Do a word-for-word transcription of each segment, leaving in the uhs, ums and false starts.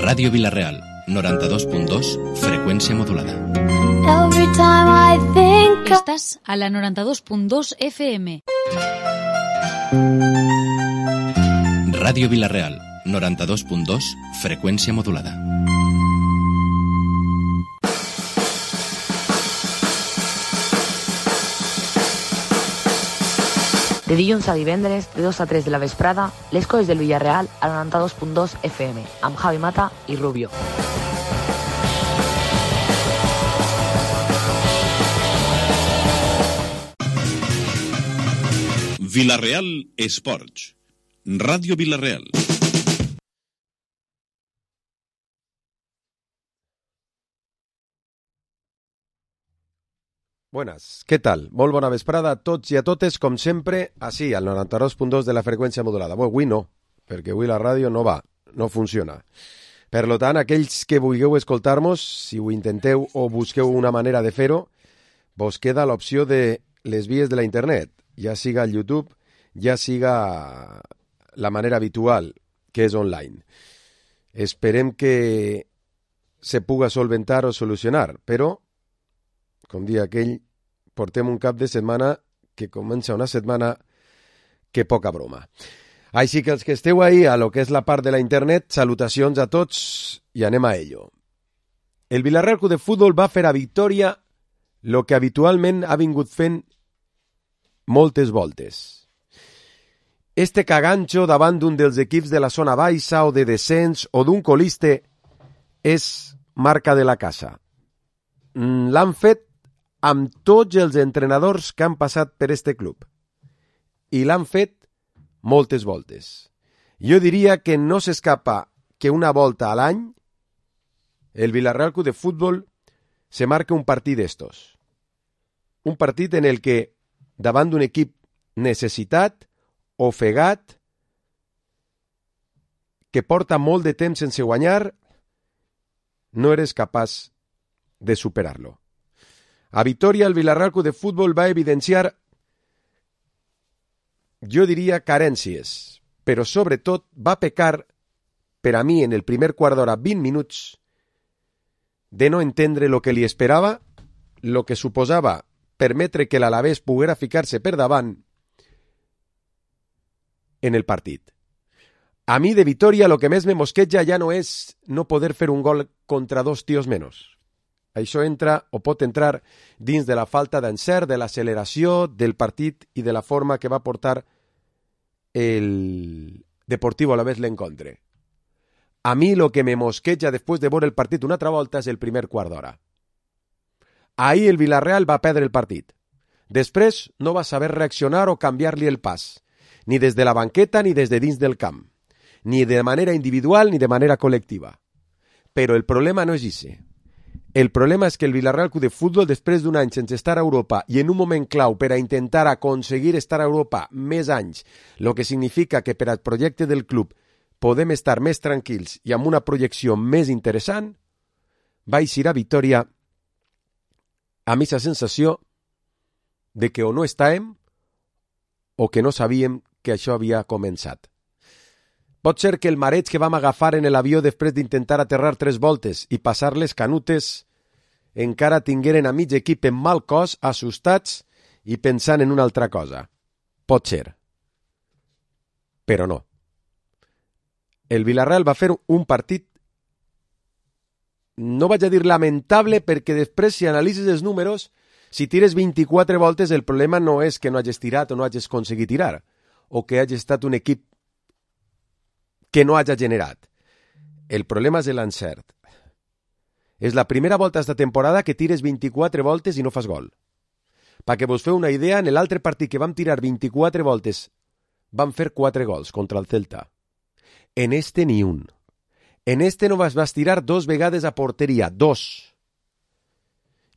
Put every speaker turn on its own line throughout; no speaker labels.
Ràdio Vila-real, noranta-dos punt dos, freqüència modulada.
Every time I think of...
Estàs a la noranta-dos punt dos F M.
Ràdio Vila-real, noranta-dos punt dos, freqüència modulada.
De dilluns a divendres, de dos a tres de la vesprada, les coses del Villarreal a noranta-dos punt dos F M, amb Javi Mata i Rubio.
Vila-real Esports. Ràdio Vila-real.
Buenas, què tal? Molt bona vesprada a tots i a totes, com sempre, així, al noranta-dos punt dos de la freqüència modulada. Bé, avui no, perquè avui la ràdio no va, no funciona. Per tant, aquells que vulgueu escoltar-nos, si ho intenteu o busqueu una manera de fer-ho, vos queda l'opció de les vies de la internet, ja siga el YouTube, ja siga la manera habitual, que és online. Esperem que se puga solventar o solucionar, però com dia aquell, portem un cap de setmana que comença una setmana que poca broma. Així que els que esteu ahí a lo que és la part de la internet, salutacions a tots i anem a ello. El Villarreal Club de Futbol va fer a Victòria lo que habitualment ha vingut fent moltes voltes. Este caganxo davant d'un dels equips de la zona baixa o de descens o d'un coliste és marca de la casa. L'han fet amb tots els entrenadors que han passat per este club. I l'han fet moltes voltes. Jo diria que no s'escapa que una volta a l'any el Villarreal Club de Futbol se marca un partit d'estos. Un partit en el que, davant d'un equip necessitat, ofegat, que porta molt de temps sense guanyar, no eres capaç de superar-lo. A Vitoria, el Villarreal Club de Futbol va evidenciar, jo diria, carències, però sobretot va pecar, per a mi, en el primer quart d'hora, vint minuts, de no entendre lo que li esperava, lo que suposava permetre que l'Alavés poguera ficar-se per davant en el partit. A mi, de Vitoria, lo que més me mosqueja ja no és no poder fer un gol contra dos tios menys. Això entra o pot entrar dins de la falta d'encert, de l'acceleració del partit i de la forma que va portar el Deportivo Alavés l'encontre. A mi lo que me mosqueja després de veure el partit una altra volta és el primer quart d'hora. Ahir el Villarreal va perdre el partit. Després no va saber reaccionar o canviar-li el pas, ni des de la banqueta ni des de dins del camp, ni de manera individual ni de manera col·lectiva. Però el problema no és ixe. El problema és que el Villarreal Club de Futbol, després d'un any sense estar a Europa i en un moment clau per a intentar aconseguir estar a Europa més anys, el que significa que per al projecte del club podem estar més tranquils i amb una projecció més interessant, va eixir a Vitoria amb aquesta sensació de que o no estàvem o que no sabíem que això havia començat. Pot ser que el mareig que vam agafar en l'avió després d'intentar aterrar tres voltes i passar les canutes encara tingueren a mig equip en mal cos, assustats i pensant en una altra cosa. Pot ser. Però no. El Villarreal va fer un partit, no vaig a dir lamentable, perquè després, si analitzes els números, si tires vint-i-quatre voltes, el problema no és que no hagis tirat o no hagis aconseguit tirar, o que hagis estat un equip que no hagi generat. El problema és l'encert. És la primera volta d'esta temporada que tires vint-i-quatre voltes i no fas gol. Perquè vos feu una idea, en l'altre partit que vam tirar vint-i-quatre voltes, vam fer quatre gols contra el Celta. En este ni un. En este no vas, vas tirar dos vegades a porteria, dos.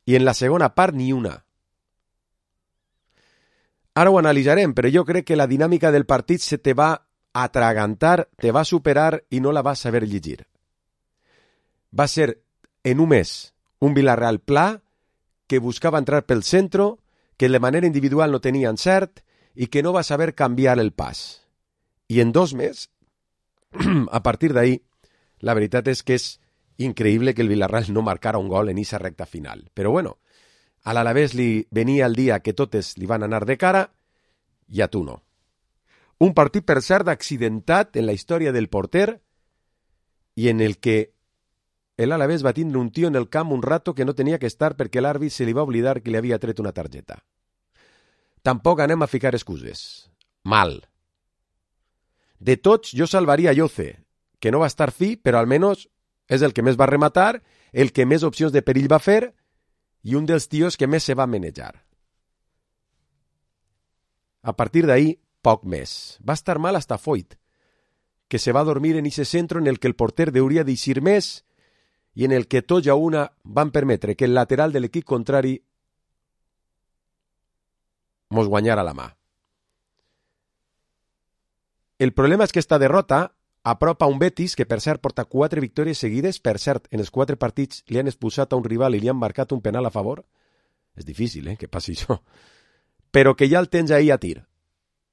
I en la segona part ni una. Ara ho analitzarem, però jo crec que la dinàmica del partit se te va atragantar, te va superar i no la vas saber llegir. Va ser en un mes un Villarreal pla que buscava entrar pel centre, que de manera individual no tenia encert i que no va saber canviar el pas. I en dos mesos, a partir d'ahí, La veritat és que és increïble que el Villarreal no marcara un gol en esa recta final. Però bueno, a l'Alavés li venia el dia que totes li van anar de cara i a tu no. Un partit, per cert, accidentat en la història del porter i en el que l'Alavés va tindre un tio en el camp un rato que no tenia que estar perquè l'àrbit se li va oblidar que li havia tret una targeta. Tampoc anem a ficar excuses. Mal. De tots, jo salvaria Yoce, que no va estar fi, però almenys és el que més va rematar, el que més opcions de perill va fer i un dels tios que més se va manejar. A partir d'ahí, poc més. Va estar mal hasta Foyt, que se va dormir en ese centro en el que el porter hauria d'eixir més i en el que tots a una van permetre que el lateral de l'equip contrari mos guanyara la mà. El problema és que esta derrota apropa un Betis que, per cert, porta quatre victòries seguides. Per cert, en els quatre partits li han expulsat a un rival i li han marcat un penal a favor. És difícil, eh, que passi això. Però que ja el tens ahí a tir.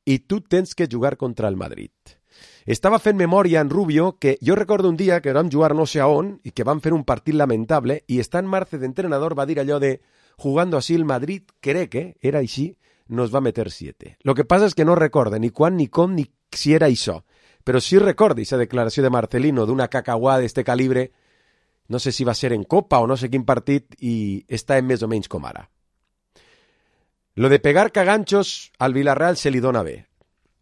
I tu tens que jugar contra el Madrid. Estava fent memòria en Rubio que jo recordo un dia que vam jugar no sé a on i que vam fer un partit lamentable i Stan Marce d'entrenador va dir allò de jugando así el Madrid, crec que era així, nos va meter siete. Lo que passa és que no recorde ni quan, ni com, ni si era això. Però sí recordo aquesta declaració de Marcelino d'una cacahuà d'este calibre, no sé si va ser en Copa o no sé quin partit, i està en més o menys com ara. Lo de pegar caganxos al Villarreal se li dona bé.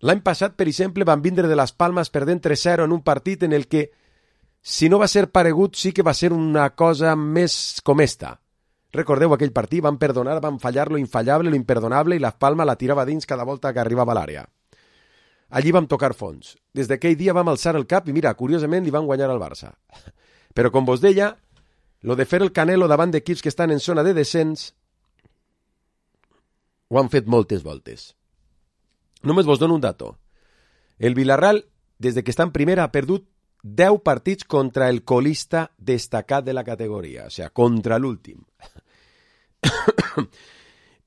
L'any passat, per exemple, van vindre de les Palmes perdent tres zero en un partit en el que, si no va ser paregut, sí que va ser una cosa més com esta. Recordeu aquell partit? Van perdonar, van fallar lo infallable, lo imperdonable, i la Palma la tirava dins cada volta que arribava a l'àrea. Allí vam tocar fons. Des d'aquell dia vam alçar el cap i, mira, curiosament li van guanyar al Barça. Però, com vos deia, lo de fer el Canelo davant d'equips que estan en zona de descens ho han fet moltes voltes. Només vos dono un dato. El Villarreal, des de que està en primera, ha perdut deu partits contra el colista destacat de la categoria, o sigui, contra l'últim.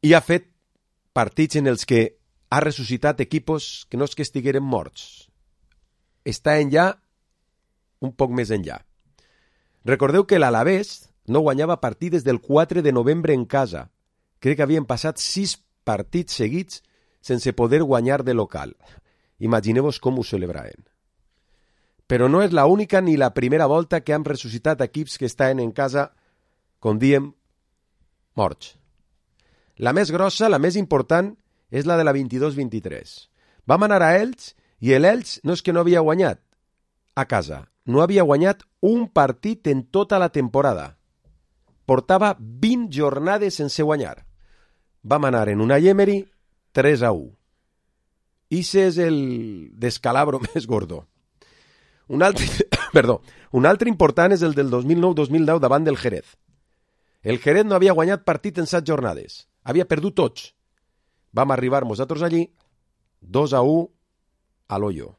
I ha fet partits en els que ha ressuscitat equipos que no és que estigueren morts. Està enllà, un poc més enllà. Recordeu que l'Alavés no guanyava partit des del quatre de novembre en casa. Crec que havien passat sis partits seguits sense poder guanyar de local. Imagineu-vos com ho celebraven. Però no és la única ni la primera volta que han ressuscitat equips que estaven en casa, com diem, morts. La més grossa, la més important, és la de la vint-i-dos vint-i-tres. Vam anar a Elx i l'Elx no és que no havia guanyat a casa, no havia guanyat un partit en tota la temporada. Portava vint jornades sense guanyar. Vam anar en una Emery tres a u. Ixe és el descalabro més gordo. Un altre, perdó, un altre important és el del dos mil nou dos mil deu davant del Jerez. El Jerez no havia guanyat partit en set jornades. Havia perdut tots. Vam arribar nosaltres allí, dos a u a l'Hoyo.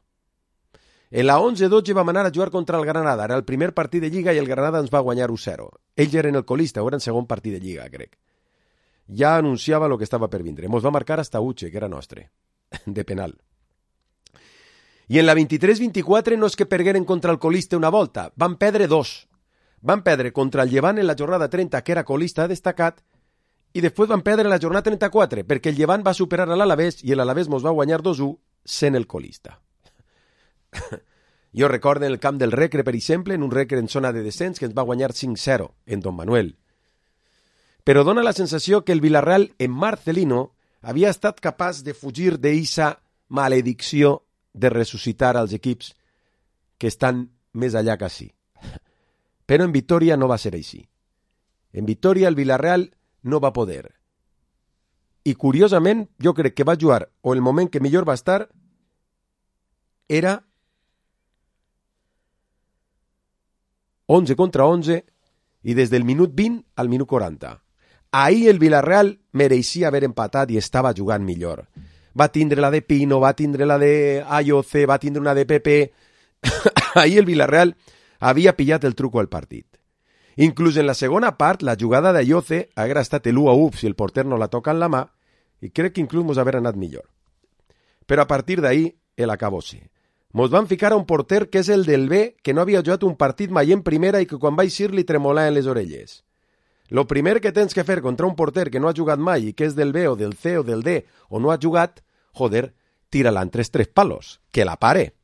En la onze dotze vam anar a jugar contra el Granada. Era el primer partit de Lliga i el Granada ens va guanyar u zero. Ells eren el colista, o era el segon partit de Lliga, crec. Ja anunciava el que estava per vindre. Mos va marcar hasta Uche, que era nostre, de penal. I en la vint-i-tres vint-i-quatre no és que pergueren contra el colista una volta, van perdre dos. Van perdre contra el Llevant en la jornada trenta, que era colista destacat, i després van perdre la jornada trenta-quatre, perquè el Llevant va superar a l'Alavés i l'Alavés mos va guanyar dos a u sent el colista. Jo recordo en el camp del Recre, per exemple, en un Recre en zona de descens, que ens va guanyar cinc zero en Don Manuel. Però dona la sensació que el Villarreal en Marcelino havia estat capaç de fugir d'eixa maledicció de ressuscitar als equips que estan més allà que sí. Però en Vitoria no va ser així. En Vitoria el Villarreal no va poder. I curiosament, jo crec que va jugar, o el moment que millor va estar, era onze contra onze i des del minut vint al minut quaranta. Ahir el Villarreal mereixia haver empatat i estava jugant millor. Va tindre la de Pino, va tindre la de Ayoce, va tindre una de Pepe. Ahir el Villarreal havia pillat el truco al partit. Inclús en la segona part, la jugada d'Ayoce haguera estat l'u a u si el porter no la toca en la mà, i crec que inclús mos haver anat millor. Però a partir d'ahir, el acabó-se. Mos van ficar a un porter que és el del B, que no havia jugat un partit mai en primera i que quan va eixir li tremolaven les orelles. Lo primer que tens que fer contra un porter que no ha jugat mai i que és del B o del C o del D o no ha jugat, joder, tira-la en tres tres palos, que la pare.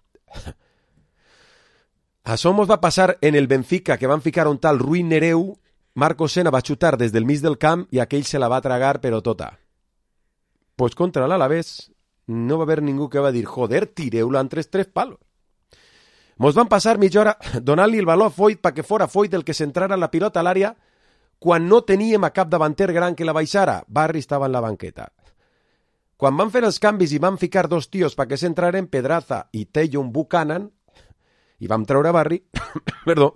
Això mos va passar en el Benfica, que van ficar un tal Rui Nereu. Marco Sena va xutar des del mig del camp i aquell se la va tragar però tota. Pues contra l'Alavés no va haver ningú que va dir, joder, tireu-la en tres tres palos. Mos van passar mitja hora donant-li el baló a Foyt perquè fora Foyt el que centrara la pilota a l'àrea quan no teníem a cap davanter gran que la baixara. Barri estava en la banqueta. Quan van fer els canvis i van ficar dos tios perquè s'entraren, Pedraza i Tejon Buchanan, i vam treure Barri, perdó,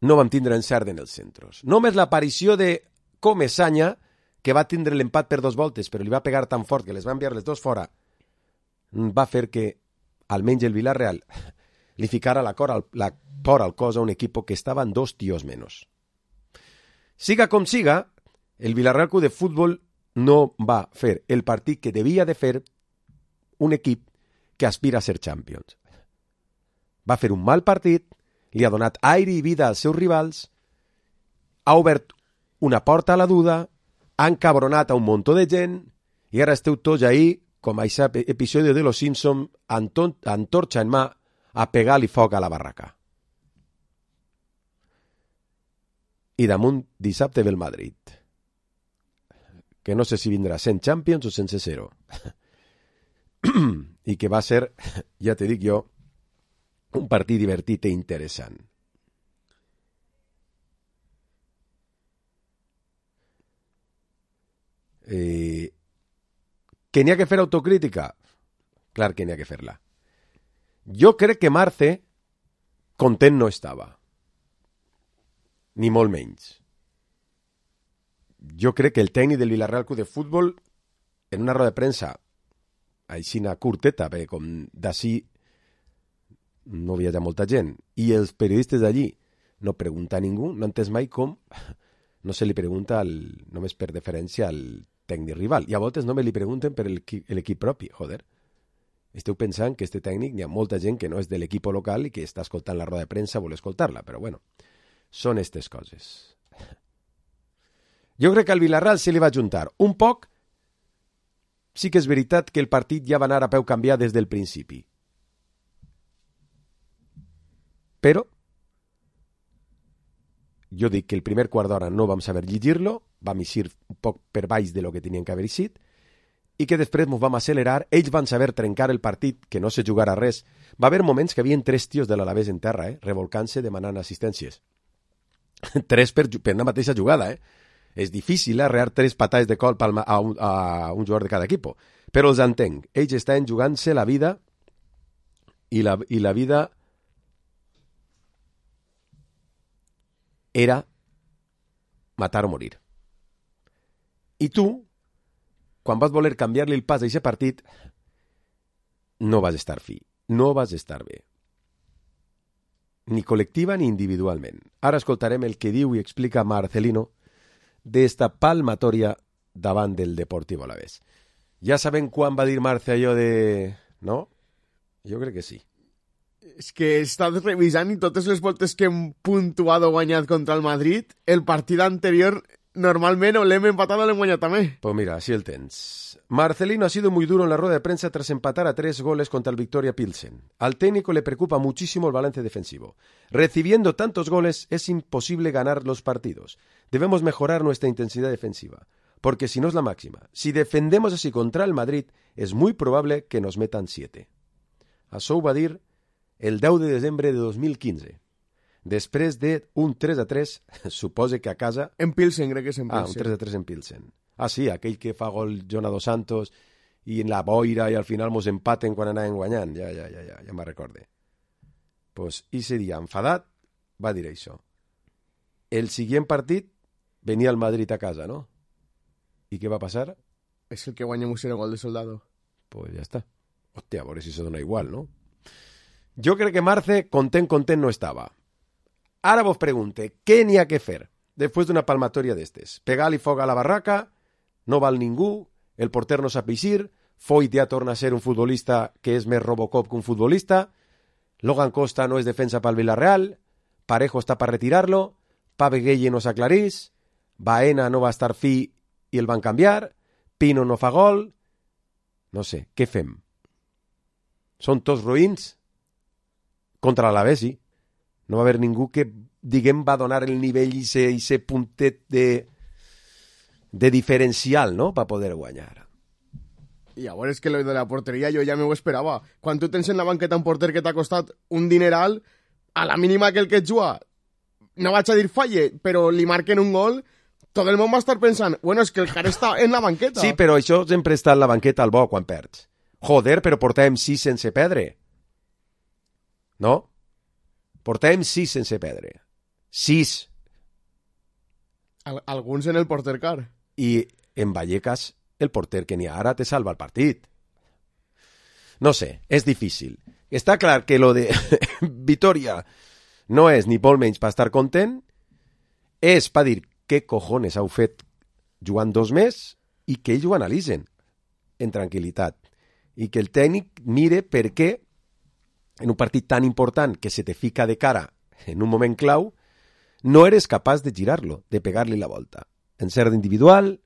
no vam tindre encert en els centros. Només l'aparició de Comesaña, que va tindre l'empat per dos voltes, però li va pegar tan fort que les va enviar les dos fora, va fer que, almenys el Villarreal, li ficara la, cor al, la por al cos a un equip que estaven dos tios menys. Siga com siga, el Villarreal Club de Futbol no va fer el partit que devia de fer un equip que aspira a ser Champions. Va fer un mal partit, li ha donat aire i vida als seus rivals, ha obert una porta a la duda, ha encabronat a un muntó de gent i ara esteu tots ahí, com a aquest episodi de Los Simpsons, antorxa en mà, a pegar-li foc a la barraca. I damunt dissabte ve el Madrid, que no sé si vindrà cent Champions o sense zero. I que va ser, ja te dic jo, un partit divertit i interessant. Eh, que n'hi ha que fer autocrítica? Clar que n'hi ha que fer-la. Jo crec que Marce content no estava. Ni molt menys. Jo crec que el tècnic del Villarreal Club de Futbol, en una roda de premsa, aixina curteta, perquè com d'ací no havia molta gent, i els periodistes d'allí no pregunta a ningú, no entès mai com no se li pregunta al, només per deferència al tècnic rival. I a voltes només li pregunten per l'equip propi. Joder, esteu pensant que este tècnic, n'hi ha molta gent que no és de l'equip local i que està escoltant la roda de premsa, vol escoltar-la, però bueno, són aquestes coses. Jo crec que al Villarreal se li va juntar un poc. Sí que és veritat que el partit ja va anar a peu canviat des del principi. Però jo dic que el primer quart d'hora no vam saber llegir-lo, vam eixir un poc per baix de lo que tenien que haver eixit, i que després ens vam accelerar, ells van saber trencar el partit, que no se jugara res. Va haver moments que havien tres tios de l'Alavés en terra, eh, revolcant-se, demanant assistències. Tres per, per una mateixa jugada, eh? És difícil arrear tres patades de colp a un, a un jugador de cada equip, però els entenc. Ells estan jugant-se la vida i la, i la vida era matar o morir. I tu, quan vas voler canviar-li el pas a aquest partit, no vas estar fi, no vas estar bé. Ni col·lectiva ni individualment. Ara escoltarem el que diu i explica Marcelino d'esta palmatòria davant del Deportivo Alavés. Ja sabem quan va dir Marce allò de... No? Jo crec que sí.
És que he estat revisant i totes les voltes que hem puntuat o guanyat contra el Madrid, el partit anterior normalment o l'hem empatat o l'hem guanyat també.
Pues mira, así el tens. Marcelino ha sido muy duro en la rueda de prensa tras empatar a tres goles contra el Victoria Pilsen. Al técnico le preocupa muchísimo el balance defensivo. Recibiendo tantos goles es imposible ganar los partidos. Debemos mejorar nuestra intensidad defensiva, porque si no es la máxima. Si defendemos así contra el Madrid, es muy probable que nos metan siete. Això ho va dir el deu de desembre de dos mil quinze. Després d'un tres a tres, supose que a casa...
En Pilsen, crec que és en Pilsen.
Ah, un tres a tres en Pilsen. Ah, sí, aquell que fa gol Jonah Dos Santos i en la boira i al final mos empaten quan anàvem guanyant. Ja, ja, ja, ja, ja me'n recorde. Pues, ese dia, enfadat, va dir això. El següent partit venia el Madrid a casa, no? I què va passar?
És el que guanyem un zero gol de Soldado.
Pues ja està. Hòstia, a veure si se dona igual, no? Jo crec que Marce content, content no estava. Ara vos pregunte, què n'hi ha que fer després d'una palmatòria d'estes? Pegar-li foc a la barraca, no val ningú, el porter no sap eixir, Foyt ja torna a ser un futbolista que és més Robocop que un futbolista, Logan Costa no és defensa pel Villarreal, Parejo està per retirar-lo, Pave Gueye no s'aclarís, Baena no va estar fi i el van canviar, Pino no fa gol, no sé, què fem? Són tots roïns? Contra l'Alavés, sí. No va haver ningú que, diguem, va donar el nivell i ese, ese puntet de, de diferencial, no?, per poder guanyar.
I llavors és que lo de la porteria jo ja m'ho esperava. Quan tu tens en la banqueta un porter que t'ha costat un dineral, a la mínima que el que et juga, no vaig a dir falle, però li marquen un gol, tot el món va estar pensant, bueno, és que el cara està en la banqueta.
Sí, però això sempre està en la banqueta al bo quan perds. Joder, però portàvem sis sense perdre. No? Portàvem sis sense perdre. Sis.
Al alguns en el porter car.
I en Vallecas, el porter que n'hi ha ara te salva el partit. No sé, és difícil. Està clar que lo de Vitoria no és ni molt menys per estar content, és per dir què cojones heu fet jugant dos més i que ells ho analitzen en tranquil·litat. I que el tècnic mire per què en un partit tan important que se te fica de cara en un moment clau no eres capaç de girar-lo, de pegar-li la volta. Encert individual,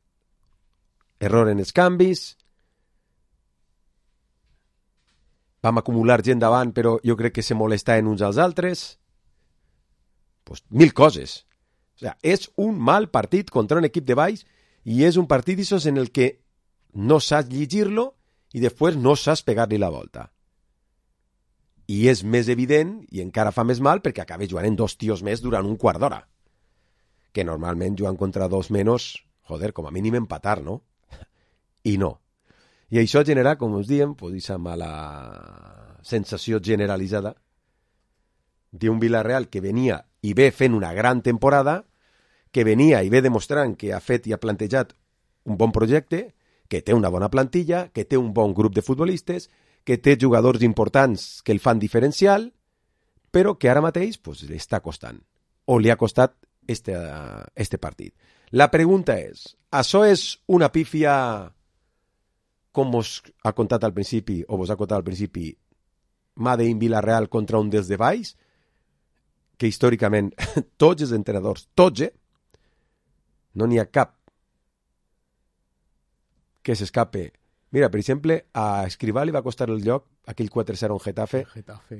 error en els canvis, vam acumular gent davant però jo crec que se molestaven uns als altres, pues, mil coses. O sea, és un mal partit contra un equip de baix i és un partit d'aixòs en el que no saps llegir-lo i després no saps pegar-li la volta. I és més evident i encara fa més mal perquè acaba jugant en dos tios més durant un quart d'hora. Que normalment jugant contra dos menys, joder, com a mínim empatar, no? I no. I això genera, com us diem, pues, aquesta mala sensació generalitzada d'un Villarreal que venia i ve fent una gran temporada, que venia i ve demostrant que ha fet i ha plantejat un bon projecte, que té una bona plantilla, que té un bon grup de futbolistes, que té jugadors importants que el fan diferencial, però que ara mateix pues, li està costant, o li ha costat este, este partit. La pregunta és, això és una pífia, com us ha contat al principi, o vos ha contat al principi, Made in Villarreal contra un dels de baix, que històricament tots els entrenadors, tots, eh? No n'hi ha cap que s'escape. Mira, per exemple, a Escrivà li va costar el lloc aquell quatre zero en Getafe.
Getafe.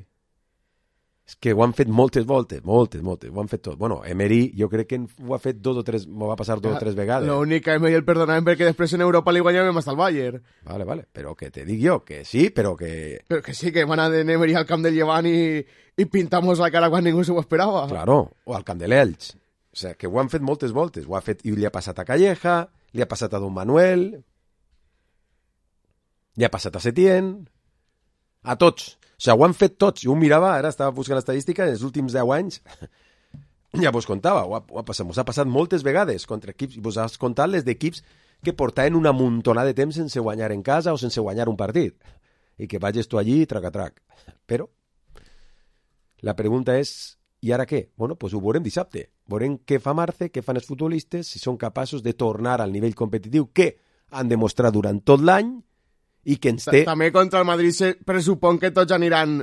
És que ho han fet moltes voltes, moltes, moltes, ho han fet tot. Bueno, Emery jo crec que ho ha fet dos o tres, m'ho va passar dos o tres vegades.
L'únic que Emery el perdonaven perquè després en Europa li guanyàvem hasta el Bayern.
Vale, vale, però que te dic jo, que sí, però que...
Però que sí, que van a de Emery al camp del Llevant i, i pintamos la cara quan ningú se ho esperava.
Claro, o al camp de l'Elx. O sigui, que ho han fet moltes voltes. Ho ha fet i li ha passat a Calleja, li ha passat a Don Manuel, li ha passat a Setién, a tots. O sigui, ho han fet tots. Jo ho mirava, ara estava buscant l'estadística, en els últims deu anys, ja vos contava, ho ha, ho ha passat, mos ha passat moltes vegades contra equips, i vos has contat les d'equips que portaven una muntonada de temps sense guanyar en casa o sense guanyar un partit. I que vagis tu allí, trac a trac. Però la pregunta és, i ara què? Bueno, doncs ho veurem dissabte. Veurem què fa Marce, què fan els futbolistes, si són capaços de tornar al nivell competitiu que han demostrat durant tot l'any i que ens té...
També contra el Madrid se pressupon que tots aniran...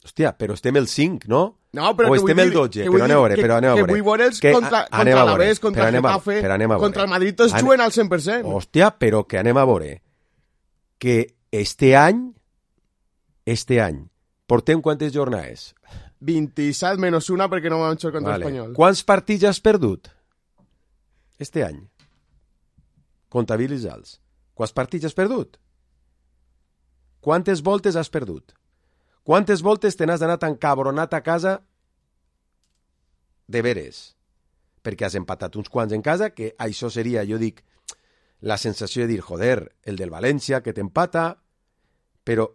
Hòstia, però estem el cinc, no?
No, però
o
que
estem el dotze, però anem a veure, però anem a veure.
Que vull veure'ls contra, contra l'Alavés, contra el Getafe, contra el Madrid, tots juguen al cent per cent.
Hòstia, però que anem a veure que este any, este any, portem quantes jornades?
vint-i-set menys una perquè no vam jugar contra
vale.
l'Espanyol.
Quants partits has perdut? Este any. Comptabilitza'ls. Alts. Quants partits has perdut? Quantes voltes has perdut? Quantes voltes te n'has anat encabronat a casa de veres? Perquè has empatat uns quants en casa, que això seria, jo dic, la sensació de dir, joder, el del València, que t'empata, però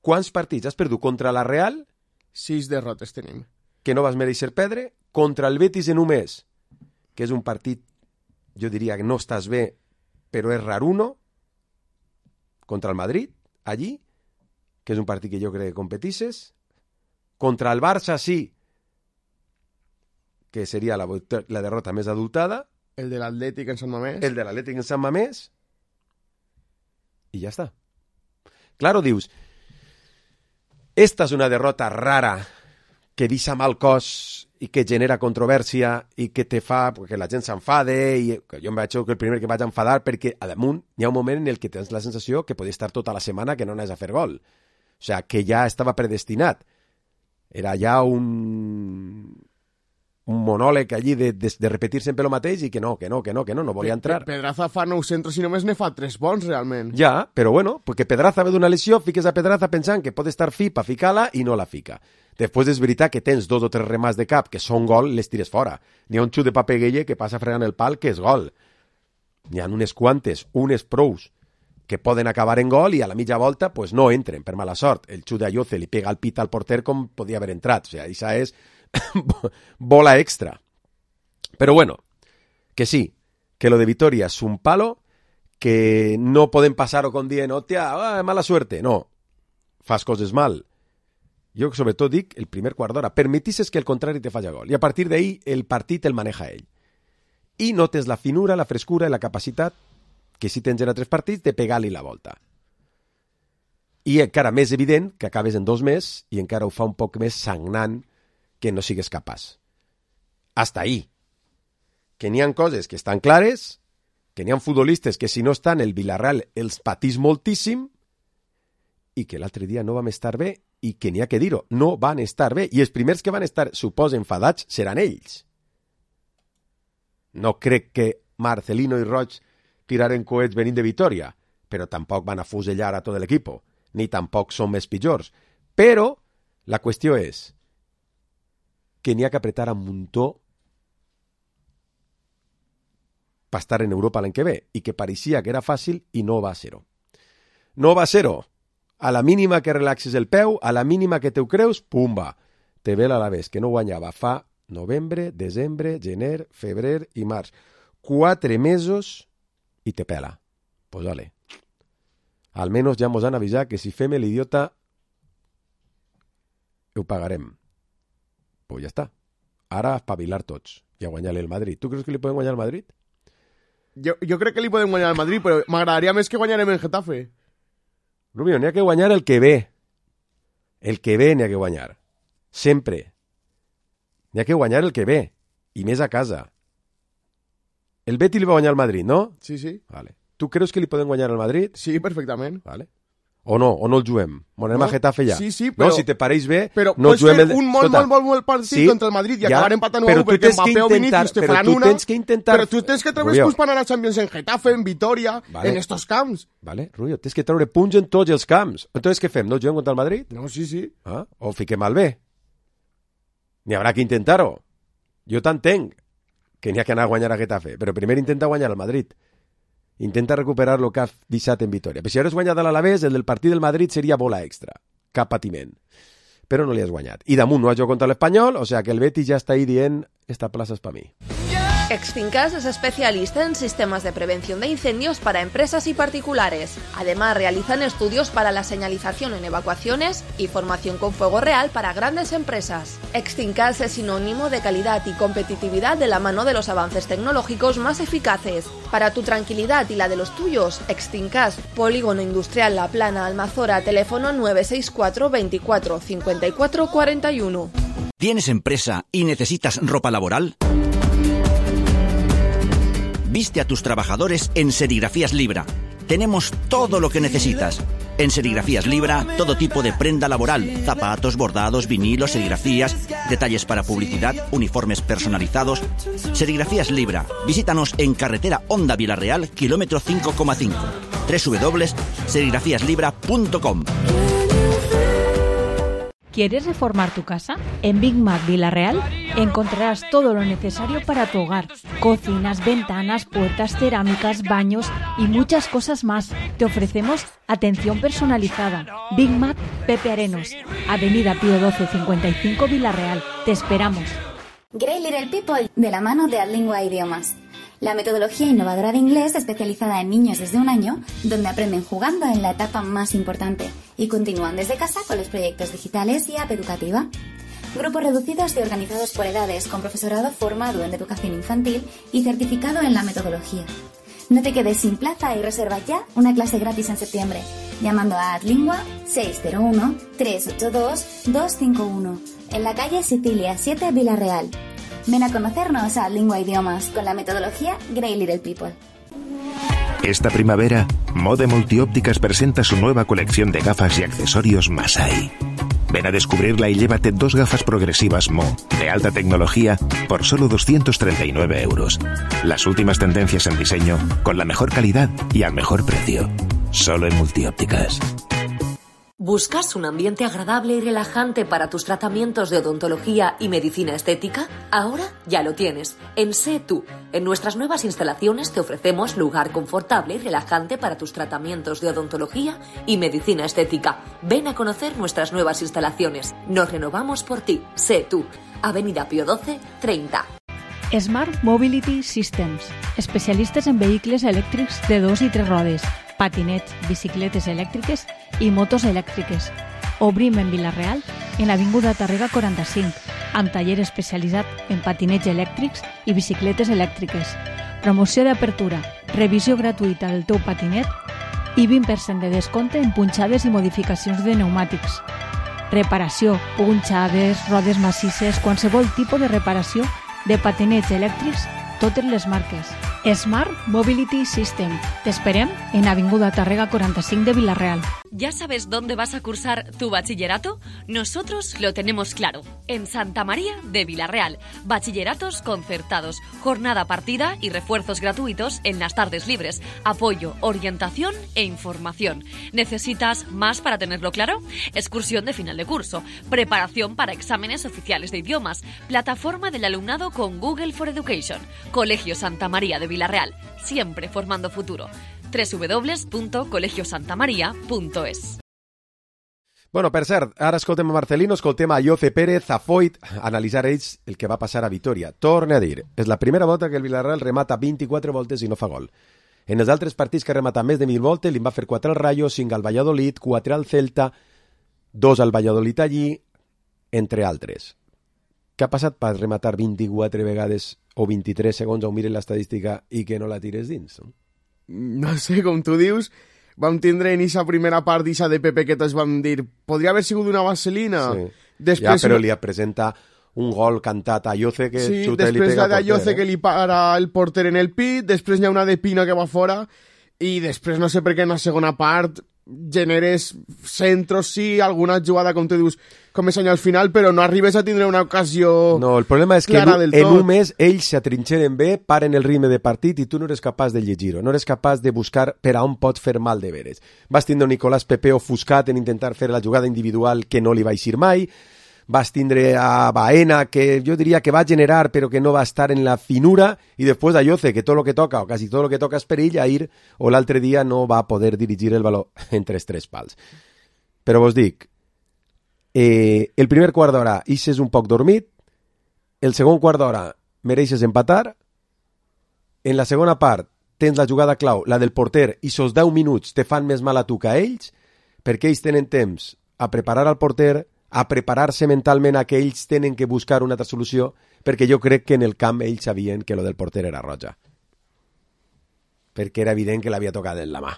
quants partits has perdut contra la Real?
Sis derrotes tenim.
Que no vas mereixer perdre, contra el Betis en un mes, que és un partit, jo diria que no estàs bé, però és raruno, contra el Madrid, allí, que és un partit que jo crec que competisses, contra el Barça sí, que seria la, la derrota més adultada,
el de l'Atlètic en Sant Mamés,
el de l'Atlètic en Sant Mamés, y ya está. Claro, dius, esta és una derrota rara que deixa mal cos i que genera controvèrsia i que te fa que la gent s'enfade i jo em vaig que el primer que vaig enfadar perquè a damunt hi ha un moment en el que tens la sensació que podia estar tota la setmana que no anés a fer gol. O sea, que ja estava predestinat. Era ja un... un monòleg allí de, de, de repetir sempre el mateix i que no, que no, que no, que no, no volia entrar.
Pedraza fa nou centres i només ne fa tres bons, realment.
Ja, però bueno, perquè Pedraza ve d'una lesió, fiques a Pedraza pensant que pot estar fi per ficar-la i no la fica. Després és veritat que tens dos o tres remats de cap que són gol, les tires fora. N'hi ha un xut de Papeguelle que passa fregant el pal que és gol. N'hi ha unes quantes, unes prous, que poden acabar en gol i a la mitja volta pues no entren, per mala sort. El xut d'Ayoce li pega el pit al porter com podia haver entrat. O sigui, això és bola extra. Pero bueno, que sí, que lo de Vitoria es un palo, que no pueden pasar o con dient, hòstia, ah, mala suerte. No, fas coses mal. Jo sobre tot dic el primer quart d'hora, permetisses que el contrari te falla gol. I a partir d'ahí el partit el maneja ell. I notes la finura, la frescura i la capacitat, que si tens en tres partits, de pegar-li la volta. I encara més evident que acabes en dos mesos i encara ho fa un poc més sagnant que no sigues capaç. Hasta ahí. Que n'hi ha coses que estan clares, que n'hi ha futbolistes que si no estan el Villarreal els patís moltíssim i que l'altre dia no vam estar bé i que n'hi ha que dir-ho, no van estar bé. I els primers que van estar, suposo, enfadats seran ells. No crec que Marcelino i Roig tiraren coets venint de Vitoria, però tampoc van afusellar a tot l'equip, ni tampoc són més pitjors. Però la qüestió és que n'hi ha que apretar a muntó per estar en Europa l'any que ve, i que pareixia que era fàcil i no va ser-ho. No va ser-ho. A la mínima que relaxes el peu, a la mínima que te ho creus, pumba, te ve l'Alavés, que no guanyava fa novembre, desembre, gener, febrer i març. Quatre mesos i te pela. Pues vale. Almenys ja mos han avisat que si fem l'idiota ho pagarem. Pues ja està. Ara a espavilar tots i a guanyar-li el Madrid. Tu creus que li poden guanyar al Madrid?
Jo, jo crec que li podem guanyar al Madrid, però m'agradaria més que guanyarem en Getafe.
Rubio, n'hi ha que guanyar el que ve. El que ve n'hi ha que guanyar. Sempre. N'hi ha que guanyar el que ve. I més a casa. El Betis li va guanyar al Madrid, no?
Sí, sí.
Vale. Tu creus que li poden guanyar al Madrid?
Sí, perfectament.
Vale. O no, o no el juguem. Monem
no,
a Getafe ja.
Sí, sí, però...
No, si te pareix bé,
però
no juguem...
Però un molt, molt, molt, molt partit sí, contra el Madrid i ja, acabar empatant u a u perquè Mbappé o Vinícius te faran una...
Tens que intentar...
Però tu tens que treure punts per anar a Champions en Getafe, en Vitoria, vale. En estos camps.
Vale, Rubio, tens que treure punts en tots els camps. Entonces, què fem? No juguem contra el Madrid?
No, sí, sí.
Ah? O fiquem al bé. N'hi haurà que intentar-ho. Jo t'entenc que n'hi ha que anar a guanyar a Getafe, però primer intenta guanyar al Madrid. Intenta recuperar el que ha deixat en Vitoria. Però si hagués guanyat a l'Alavés, el del partit del Madrid seria bola extra. Cap patiment. Però no li has guanyat. I damunt no has jugat contra l'Espanyol, o sea que el Betis ja està ahí dient esta plaza és per mi.
Extincas es especialista en sistemas de prevención de incendios para empresas y particulares. Además, realizan estudios para la señalización en evacuaciones y formación con fuego real para grandes empresas. Extincas es sinónimo de calidad y competitividad de la mano de los avances tecnológicos más eficaces. Para tu tranquilidad y la de los tuyos, Extincas, Polígono Industrial La Plana, Almazora, teléfono nueve seis cuatro veinticuatro cincuenta y cuatro cuarenta y uno.
¿Tienes empresa y necesitas ropa laboral? Viste a tus trabajadores en Serigrafías Libra. Tenemos todo lo que necesitas. En Serigrafías Libra, todo tipo de prenda laboral, zapatos, bordados, vinilos, serigrafías, detalles para publicidad, uniformes personalizados. Serigrafías Libra. Visítanos en carretera Honda Villarreal, kilómetro cinco coma cinco. doble u doble u doble u punto serigrafías libra punto com.
¿Quieres reformar tu casa? En Big Mac Villarreal encontrarás todo lo necesario para tu hogar. Cocinas, ventanas, puertas, cerámicas, baños y muchas cosas más. Te ofrecemos atención personalizada. Big Mac Pepe Arenos, Avenida Pío doce cincuenta y cinco Villarreal. Te esperamos.
Great Little People, de la mano de Adlingua Idiomas. La metodología innovadora de inglés especializada en niños desde un año, donde aprenden jugando en la etapa más importante y continúan desde casa con los proyectos digitales y app educativa. Grupos reducidos y organizados por edades, con profesorado formado en educación infantil y certificado en la metodología. No te quedes sin plaza y reserva ya una clase gratis en septiembre, llamando a Adlingua seis cero uno, tres ocho dos, dos cinco uno, en la calle Sicilia siete, Villarreal. Ven a conocernos a Adlingua Idiomas con la metodología Grey Little People.
Esta primavera, Mode Multiópticas presenta su nueva colección de gafas y accesorios Masai. Ven a descubrirla y llévate dos gafas progresivas Mo, de alta tecnología, por solo doscientos treinta y nueve euros. Las últimas tendencias en diseño, con la mejor calidad y al mejor precio. Solo en Multiópticas.
¿Buscas un ambiente agradable y relajante para tus tratamientos de odontología y medicina estética? Ahora ya lo tienes. En Sé Tú. En nuestras nuevas instalaciones te ofrecemos lugar confortable y relajante para tus tratamientos de odontología y medicina estética. Ven a conocer nuestras nuevas instalaciones. Nos renovamos por ti. Sé Tú. Avenida Pío doce, treinta.
Smart Mobility Systems, especialistes en vehicles elèctrics de dos i tres rodes, patinets, bicicletes elèctriques i motos elèctriques. Obrim en Vila-real, en l'Avinguda Tàrrega quaranta-cinc, amb taller especialitzat en patinets elèctrics i bicicletes elèctriques. Promoció d'apertura, revisió gratuïta del teu patinet i vint per cent de descompte en punxades i modificacions de pneumàtics. Reparació, punxades, rodes massisses, qualsevol tipus de reparació de patinets elèctrics, totes les marques. Smart Mobility System. Te esperem en Avinguda Tàrrega quaranta-cinc de Vila-real.
¿Ya sabes dónde vas a cursar tu bachillerato? Nosotros lo tenemos claro. En Santa María de Vila-real. Bachilleratos concertados, jornada partida y refuerzos gratuitos en las tardes libres. Apoyo, orientación e información. ¿Necesitas más para tenerlo claro? Excursión de final de curso. Preparación para exámenes oficiales de idiomas. Plataforma del alumnado con Google for Education. Colegio Santa María de Vila-real. Siempre formando futuro. doble u doble u doble u punto colegio santa maria punto es.
Bueno, per cert, ara escoltem a Marcelino, escoltem a Ayoce Pérez, a Foyt, analitzar ells el que va passar a Vitoria. Torne a dir, és la primera volta que el Villarreal remata vint-i-quatre voltes i no fa gol. En els altres partits que remata més de mil voltes, li va fer quatre al Rayo, cinc al Valladolid, quatre al Celta, dos al Valladolid allí, entre altres. Què ha passat per rematar vint-i-quatre vegades o vint-i-tres segons on mires l'estadística i que no la tires dins? No?
No sé, com tu dius, vam tindre en aquesta primera part d'Isa de Pepe que tots vam dir, podria haver sigut una vaselina.
Sí.
Després,
ja, però li presenta un gol cantat a Ayoce que
sí,
xuta i li
després
pega
la d'Ayoce
eh?
que li para el porter en el pit, després hi ha una de Pina que va fora, i després no sé per què en la segona part generes centros, sí, alguna jugada, com tu dius, com és al final, però no arribes a tindre una ocasió
no, el problema és que
clara
en,
del tot.
En un mes ells s'atrinxeren bé, paren el ritme de partit i tu no eres capaç de llegir-ho, no eres capaç de buscar per a on pots fer mal de veres. Vas tindre Nicolás Pepe ofuscat en intentar fer la jugada individual que no li va eixir mai, vas tindre a Baena, que jo diria que va generar però que no va estar en la finura, i després a Ayoce, que tot el que toca, o quasi tot el que toca és per ell, Ahir o l'altre dia no va poder dirigir el baló entre els tres pals. Però vos dic, eh, el primer quart d'hora ixes un poc dormit, el segon quart d'hora mereixes empatar, en la segona part tens la jugada clau, la del porter, i sos deu minuts te fan més mal a tu que a ells, perquè ells tenen temps a preparar al porter, a preparar-se mentalment a que ells tenen que buscar una altra solució, perquè jo crec que en el camp ells sabien que lo del porter era roja. Perquè era evident que l'havia tocat en la mà.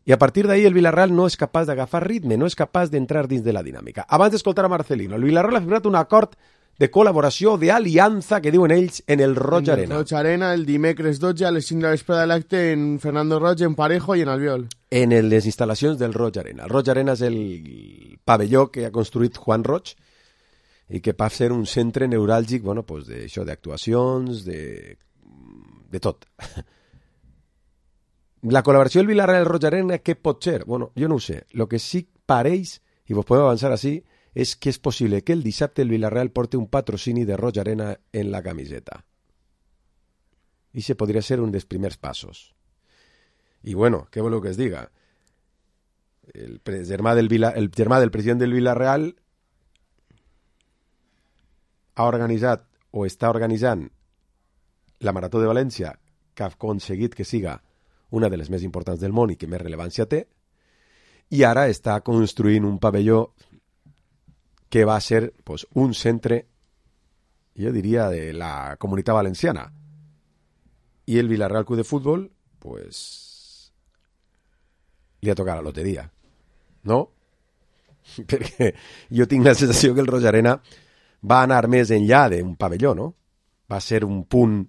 I a partir d'ahí el Villarreal no és capaç d'agafar ritme, no és capaç d'entrar dins de la dinàmica. Abans d'escoltar a Marcelino, el Villarreal ha firmat un acord de col·laboració, d'aliança, que diuen ells, en el Roig Arena.
En el Roig Arena, el dimecres dotze a les cinc de la vesprada de l'acte en Fernando Roig, en Parejo i en Albiol.
En les instal·lacions del Roig Arena. El Roig Arena és el pavelló que ha construït Juan Roig i que va ser un centre neuràlgic, bueno, pues d'això, d'actuacions, de, de tot. La col·laboració del Villarreal i el Roig Arena, què pot ser? Bueno, jo no ho sé. Lo que sí pareix, i vos podem avançar així, és que és possible que el dissabte el Villarreal porti un patrocini de Roig Arena en la camiseta. I se podria ser un dels primers passos. I bueno, què voleu que es diga? El germà del, Vila, el germà del president del Villarreal ha organitzat o està organitzant la Marató de València, que ha aconseguit que siga una de les més importants del món i que més rellevància té, i ara està construint un pavelló que va ser pues, un centre, jo diria, de la comunitat valenciana. I el Villarreal Club de Futbol pues li ha tocat la loteria, no? Perquè jo tinc la sensació que el Rojarena va anar més enllà d'un pavelló, no? Va ser un punt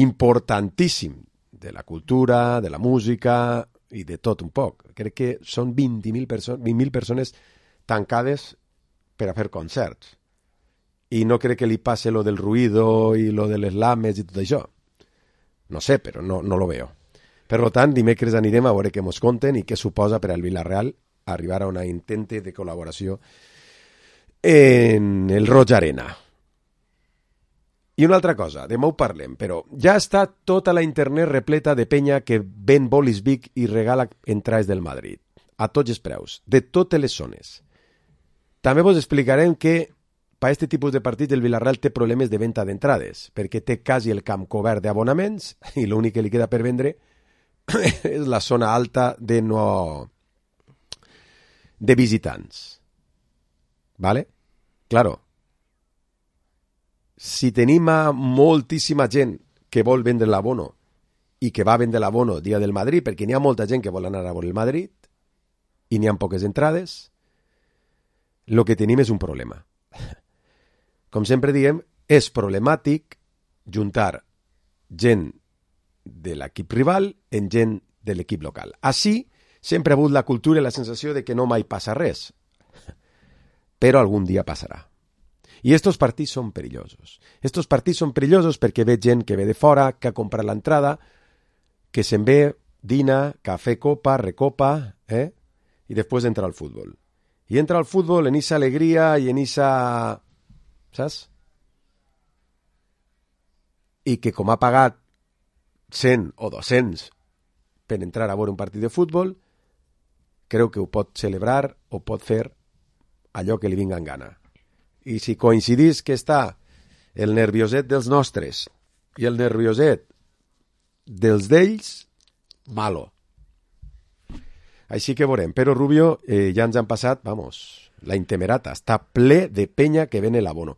importantíssim de la cultura, de la música i de tot un poc. Crec que són vint mil perso- vint mil persones tancades per a fer concerts. I no crec que li passe lo del ruido i lo de les lames i tot això. No sé, però no, no lo veo. Per tant, dimecres anirem a veure què mos conten i què suposa per al Villarreal arribar a una intente de col·laboració en el Roig Arena. I una altra cosa, demà ho parlem, però ja està tota la internet repleta de penya que ven bolis Vic i regala entrades del Madrid, a tots els preus, de totes les zones. També vos explicarem que per aquest tipus de partits el Villarreal té problemes de venda d'entrades, perquè té quasi el camp cobert d'abonaments i l'únic que li queda per vendre és la zona alta de no... de visitants. ¿Vale? Claro. Si tenim a moltíssima gent que vol vendre l'abono i que va vendre l'abono dia del Madrid, perquè n'hi ha molta gent que vol anar a veure el Madrid i n'hi ha poques entrades, el que tenim és un problema. Com sempre diem, és problemàtic juntar gent de l'equip rival en gent de l'equip local. Així, sempre ha hagut la cultura i la sensació de que no mai passa res, però algun dia passarà. I estos partits són perillosos. Estos partits són perillosos perquè ve gent que ve de fora, que ha comprat l'entrada, que se'n ve, dina, cafè, copa, recopa, eh? I després entra al futbol. I entra al futbol en esa alegria i en esa... saps? I que com ha pagat cent o dos-cents per entrar a veure un partit de futbol, creu que ho pot celebrar o pot fer allò que li vinga en gana. I si coincidís que està el nervioset dels nostres i el nervioset dels d'ells, malo. Així que veurem. Però Rubio, eh, ja ens han passat, vamos, la intemerata. Està ple de penya que ven l'abono.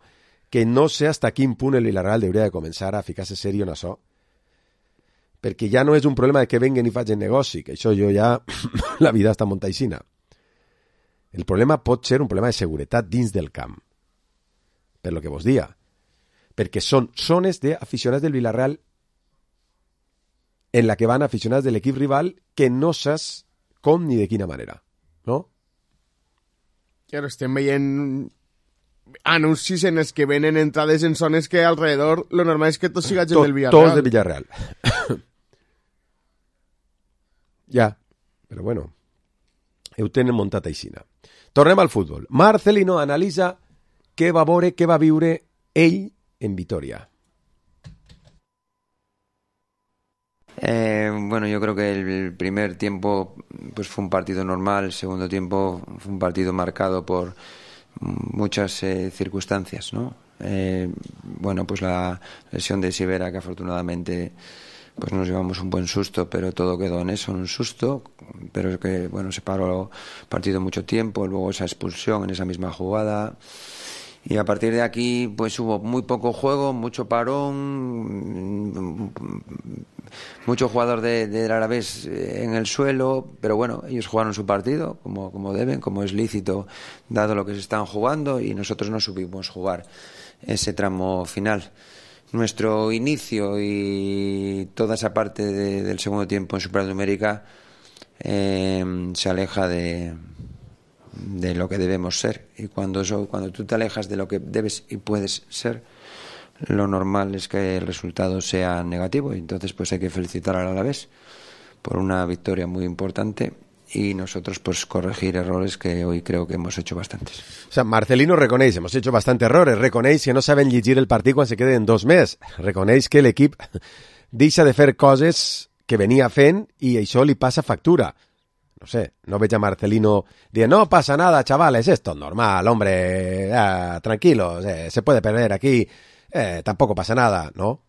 Que no sé hasta quin punt el Villarreal hauria de començar a ficar-se serio en això. Perquè ja no és un problema de que venguen i facin negoci, que això jo ja... la vida està montaixina. El problema pot ser un problema de seguretat dins del camp. Per lo que vos dia. Perquè són zones d'aficionats del Villarreal en la que van aficionats de l'equip rival que no saps com ni de quina manera. No?
Claro, estem veient anuncis en els que venen entrades en zones que alrededor lo normal és que tot siga gent
tot,
del Villarreal.
Tots del Villarreal. Ja, però bueno, ho tenen muntat aixina. Tornem al futbol. Marcelino analitza què va veure, què va viure ell en Vitoria.
Eh, bueno, yo creo que el primer tiempo pues fue un partido normal, el segundo tiempo fue un partido marcado por muchas eh, circunstancias, ¿no? Eh, bueno, pues la lesión de Sivera, que afortunadamente pues nos llevamos un buen susto, pero todo quedó en eso, en un susto, pero es que bueno, se paró el partido mucho tiempo, luego esa expulsión en esa misma jugada. Y a partir de aquí pues hubo muy poco juego, mucho parón, mucho jugador de, del Alavés en el suelo, pero bueno, ellos jugaron su partido como, como deben, como es lícito dado lo que se están jugando, y nosotros no supimos jugar ese tramo final. Nuestro inicio y toda esa parte de, del segundo tiempo en supernumérica eh, se aleja de... de lo que debemos ser, y cuando eso, cuando tú te alejas de lo que debes y puedes ser, lo normal es que el resultado sea negativo, y entonces pues hay que felicitar al Alavés por una victoria muy importante y nosotros pues corregir errores que hoy creo que hemos hecho bastantes.
O sea, Marcelino reconeix, hemos hecho bastantes errores, reconeix que no saben llegir el partit quan se queden dos més, reconeix que l'equip deixa de fer coses que venia fent i això li passa factura. No sé, no veig a Marcelino dient, no pasa nada, chavales, esto es normal, hombre, eh, tranquilos, eh, se puede perder aquí, eh, tampoco pasa nada, ¿no?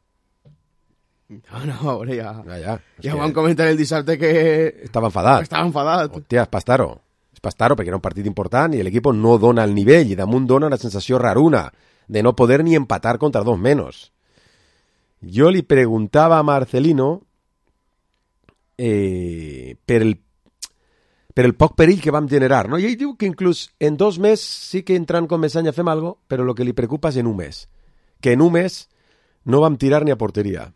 No, no, ahora ya...
Ja, ja.
Ja van comentar el dissabte que...
Estava enfadat.
Estava enfadat.
Hòstia, és Pastaro. És Pastaro perquè era un partit important i l'equip no dona el nivell i damunt dona una sensació raruna de no poder ni empatar contra dos menos. Jo li preguntava a Marcelino eh, per el per el poc perill que vam generar, no? I ell diu que inclús en dos mesos sí que entrant com Messanya fem algo, però el que li preocupa és en un mes. Que en un mes no vam tirar ni a portería.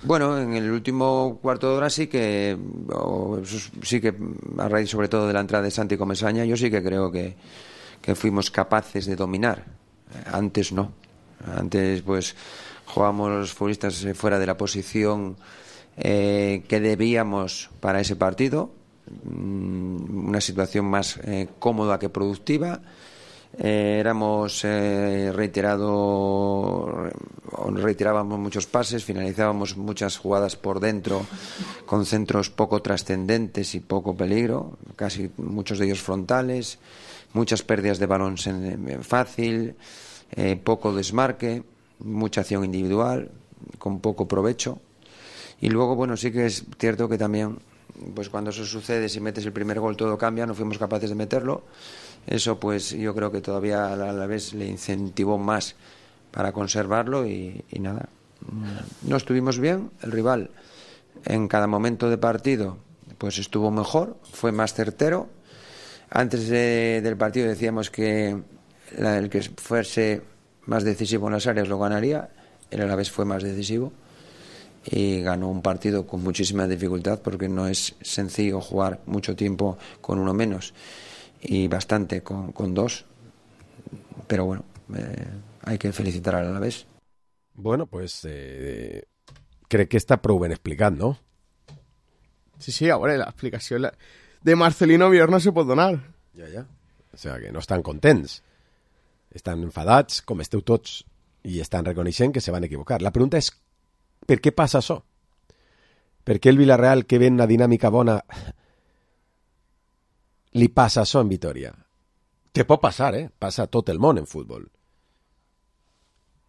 Bueno, en el último cuarto de hora sí que, o, sí que a raíz sobre todo de la entrada de Santi Comesaña, yo sí que creo que, que fuimos capaces de dominar. Antes no. Antes pues jugábamos los futbolistas fuera de la posición eh, que debíamos para ese partido. Una situación más eh, cómoda que productiva. Eh, éramos eh, reiterado reiterábamos muchos pases, finalizábamos muchas jugadas por dentro con centros poco trascendentes y poco peligro, casi muchos de ellos frontales, muchas pérdidas de balón fácil, eh, poco desmarque, mucha acción individual con poco provecho. Y luego, bueno, sí que es cierto que también, pues cuando eso sucede, si metes el primer gol todo cambia, no fuimos capaces de meterlo. Eso pues yo creo que todavía a la vez le incentivó más para conservarlo y, y nada. No estuvimos bien, el rival en cada momento de partido pues estuvo mejor, fue más certero. Antes de, del partido decíamos que la, el que fuese más decisivo en las áreas lo ganaría, el Alavés fue más decisivo y ganó un partido con muchísima dificultad porque no es sencillo jugar mucho tiempo con uno menos y bastante con, con dos, pero bueno, eh, hay que felicitar al Alavés.
Bueno, pues eh, crec que està prou ben explicat, no?
Sí, sí, a veure, l'explicació de Marcelino Bior no se pot donar.
Ja, ja. O sigui que no estan contents. Estan enfadats, com esteu tots, i estan reconeixent que se van equivocar. La pregunta és, per què passa això? Per què el Villarreal, que ve en una dinàmica bona, li passa això en Vitoria? Que pot passar, eh? Passa a tot el món en futbol.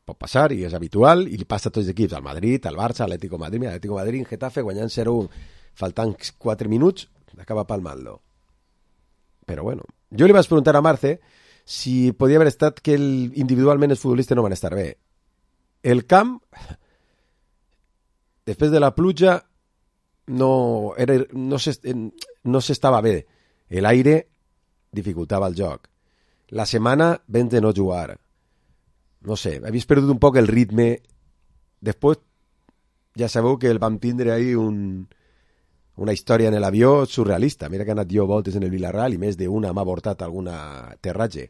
Pot passar, i és habitual, i li passa a tots els equips, al Madrid, al Barça, al Atlético Madrid, al Atlético Madrid, en Getafe, guanyant zero un, faltant quatre minuts, acaba palmant-lo. Però bueno, jo li vaig preguntar a Marce si podia haver estat que el, individualment els futbolistes no van estar bé. El camp, després de la pluja, no, era, no, no s'estava bé. El aire dificultava el joc. La setmana vam de no jugar. No sé, havies perdut un poc el ritme. Després, ja sabeu que el vam tindre ahí un, una història en l'avió surrealista. Mira que he anat jo voltes en el Villarreal i més d'una m'ha avortat alguna aterratge.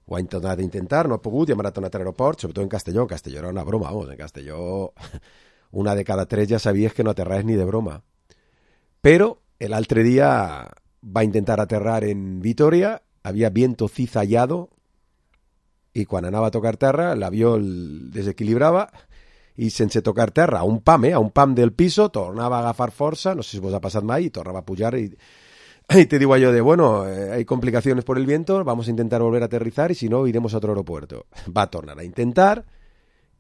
Ho ha intentat intentar, no ha pogut, i hem anat a un altre aeroport, sobretot en Castelló. En Castelló era una broma, vamos, en Castelló una de cada tres ja sabies que no aterraves ni de broma. Però l'altre dia va intentar aterrar en Vitoria, havia viento cizallado, i quan anava a tocar terra l'avió el desequilibrava i sense tocar terra, a un pam, eh, a un pam del piso, tornava a agafar força, no sé si vos ha passat mai, i tornava a pujar i, y te digo yo de, bueno, eh, hay complicaciones por el viento, vamos a intentar volver a aterrizar y si no iremos a otro aeropuerto. Va a tornar a intentar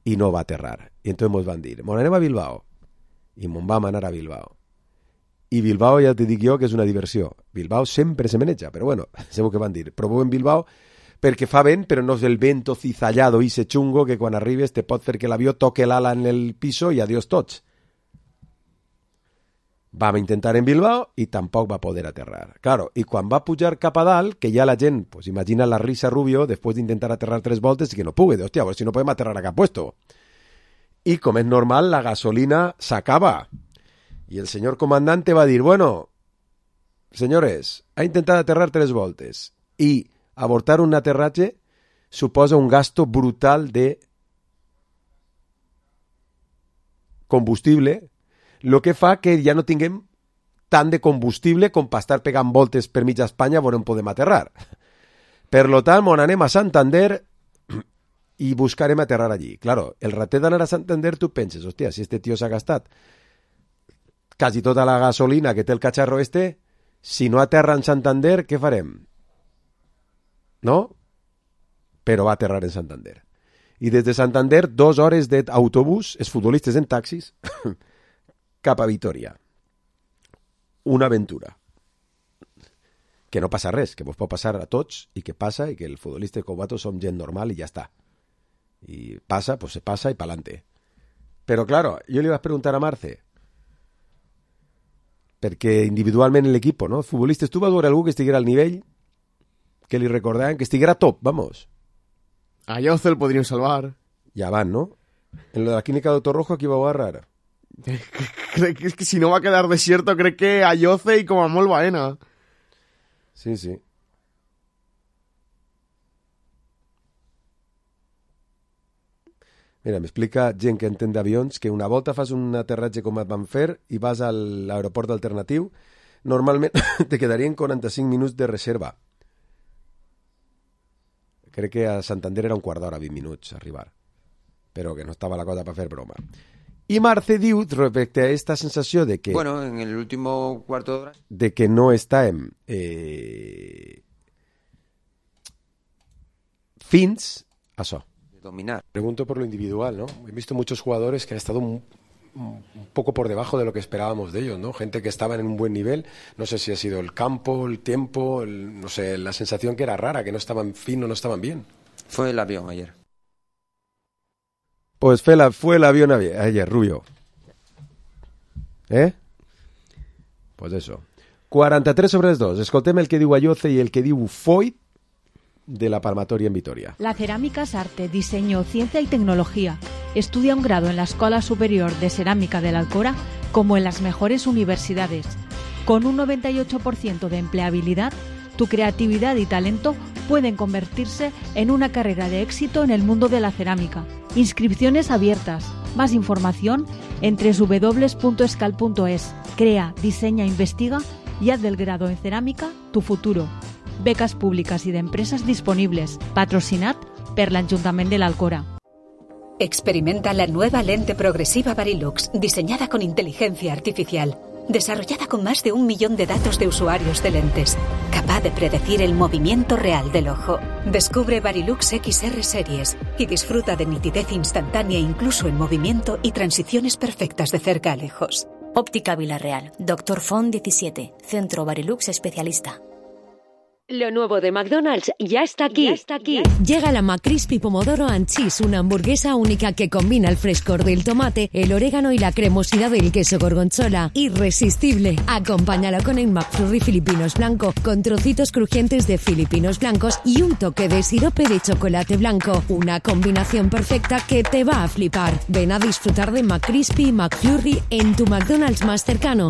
i no va a aterrar. I entonces mos van dir, mon anem a Bilbao. I mon vam anar a Bilbao. I Bilbao ja te dic jo que és una diversió. Bilbao sempre se maneja, però bueno, sabeu què van dir. Proveu en Bilbao perquè fa vent, però no és el vento cizallado i se chungo que quan arribes te pot fer que l'avió toque l'ala en el piso i adiós tots. Vam intentar en Bilbao i tampoc va poder aterrar. Claro, i quan va pujar cap a dalt, que ja la gent, pues imagina la risa Rubio, després d'intentar aterrar tres voltes i que no pugui. Hòstia, a veure si no podem aterrar a cap puesto. I com és normal, la gasolina s'acaba. Y el señor comandante va a decir, bueno, señores, ha intentado aterrar tres voltes y abortar un aterratge suposa un gasto brutal de combustible, lo que fa que ja no tinguem tant de combustible com per estar pegant voltes per mitja Espanya on podem aterrar. Per lo tant, on anem a Santander i buscarem aterrar allí. Claro, el ratet d'anar a Santander tu penses, hòstia, si este tio s'ha gastat quasi tota la gasolina que té el cacharro este, si no aterra en Santander, què farem? No? Però va aterrar en Santander. I des de Santander, dos hores d'autobús, els futbolistes en taxis, cap a Vitoria. Una aventura. Que no passa res, que vos pot passar a tots, i que passa, i que el futbolista com vosaltres som gent normal i ja està. I passa, pues se passa i pa'lante. Però, claro, jo li vaig preguntar a Marce, perquè individualment en l'equip, no? Els futbolistes, tu vas veure algú que estiguera al nivell que li recordaven, que estiguera top, vamos.
A Yoce el podríem salvar.
Ja van, no? En la clínica de Torrojo aquí va a agarrar.
Crec que, que si no va a quedar desierto, crec que a Yoce i com a molt Baena.
Sí, sí. Mira, m'explica gent que entén d'avions que una volta fas un aterratge com et van fer i vas a l'aeroport alternatiu, normalment te quedarien quaranta-cinc minuts de reserva. Crec que a Santander era un quart d'hora, vint minuts, arribar. Però que no estava la cosa per fer broma. I Marce diu, respecte a esta sensació de que...
Bueno, en el último cuarto de hora...
De que no estàvem... Eh, fins a això.
Dominar.
Pregunto por lo individual, ¿no? He visto muchos jugadores que han estado un, un poco por debajo de lo que esperábamos de ellos, ¿no? Gente que estaba en un buen nivel, no sé si ha sido el campo, el tiempo, el, no sé, la sensación que era rara, que no estaban finos, no estaban bien.
Fue el avión ayer.
Pues fue, la, fue el avión ayer, Rubio. ¿Eh? Pues eso. quaranta-tres sobre els dos. Escoltem el que diu Ayoce i el que diu Foyt de la Palmatoria en Vitoria.
La cerámica es arte, diseño, ciencia y tecnología. Estudia un grado en la Escuela Superior de Cerámica de la Alcora como en las mejores universidades. Con un noventa y ocho por ciento de empleabilidad, tu creatividad y talento pueden convertirse en una carrera de éxito en el mundo de la cerámica. Inscripciones abiertas. Más información en doble u doble u doble u punto escal punto es. Crea, diseña, investiga y haz del grado en cerámica tu futuro. Becas públicas y de empresas disponibles. Patrocinat per l'Ajuntament de l'Alcora.
Experimenta la nueva lente progresiva Varilux, diseñada con inteligencia artificial, desarrollada con más de un millón de datos de usuarios de lentes, capaz de predecir el movimiento real del ojo. Descubre Varilux X R Series y disfruta de nitidez instantánea incluso en movimiento y transiciones perfectas de cerca a lejos.
Óptica Villarreal. Doctor Font diecisiete. Centro Varilux Especialista.
Lo nuevo de McDonald's ya está aquí.
Ya está aquí.
Llega la McCrispy Pomodoro and Cheese, una hamburguesa única que combina el frescor del tomate, el orégano y la cremosidad del queso gorgonzola. Irresistible. Acompáñalo con el McFlurry Filipinos Blanco, con trocitos crujientes de filipinos blancos y un toque de sirope de chocolate blanco. Una combinación perfecta que te va a flipar. Ven a disfrutar de McCrispy y McFlurry en tu McDonald's más cercano.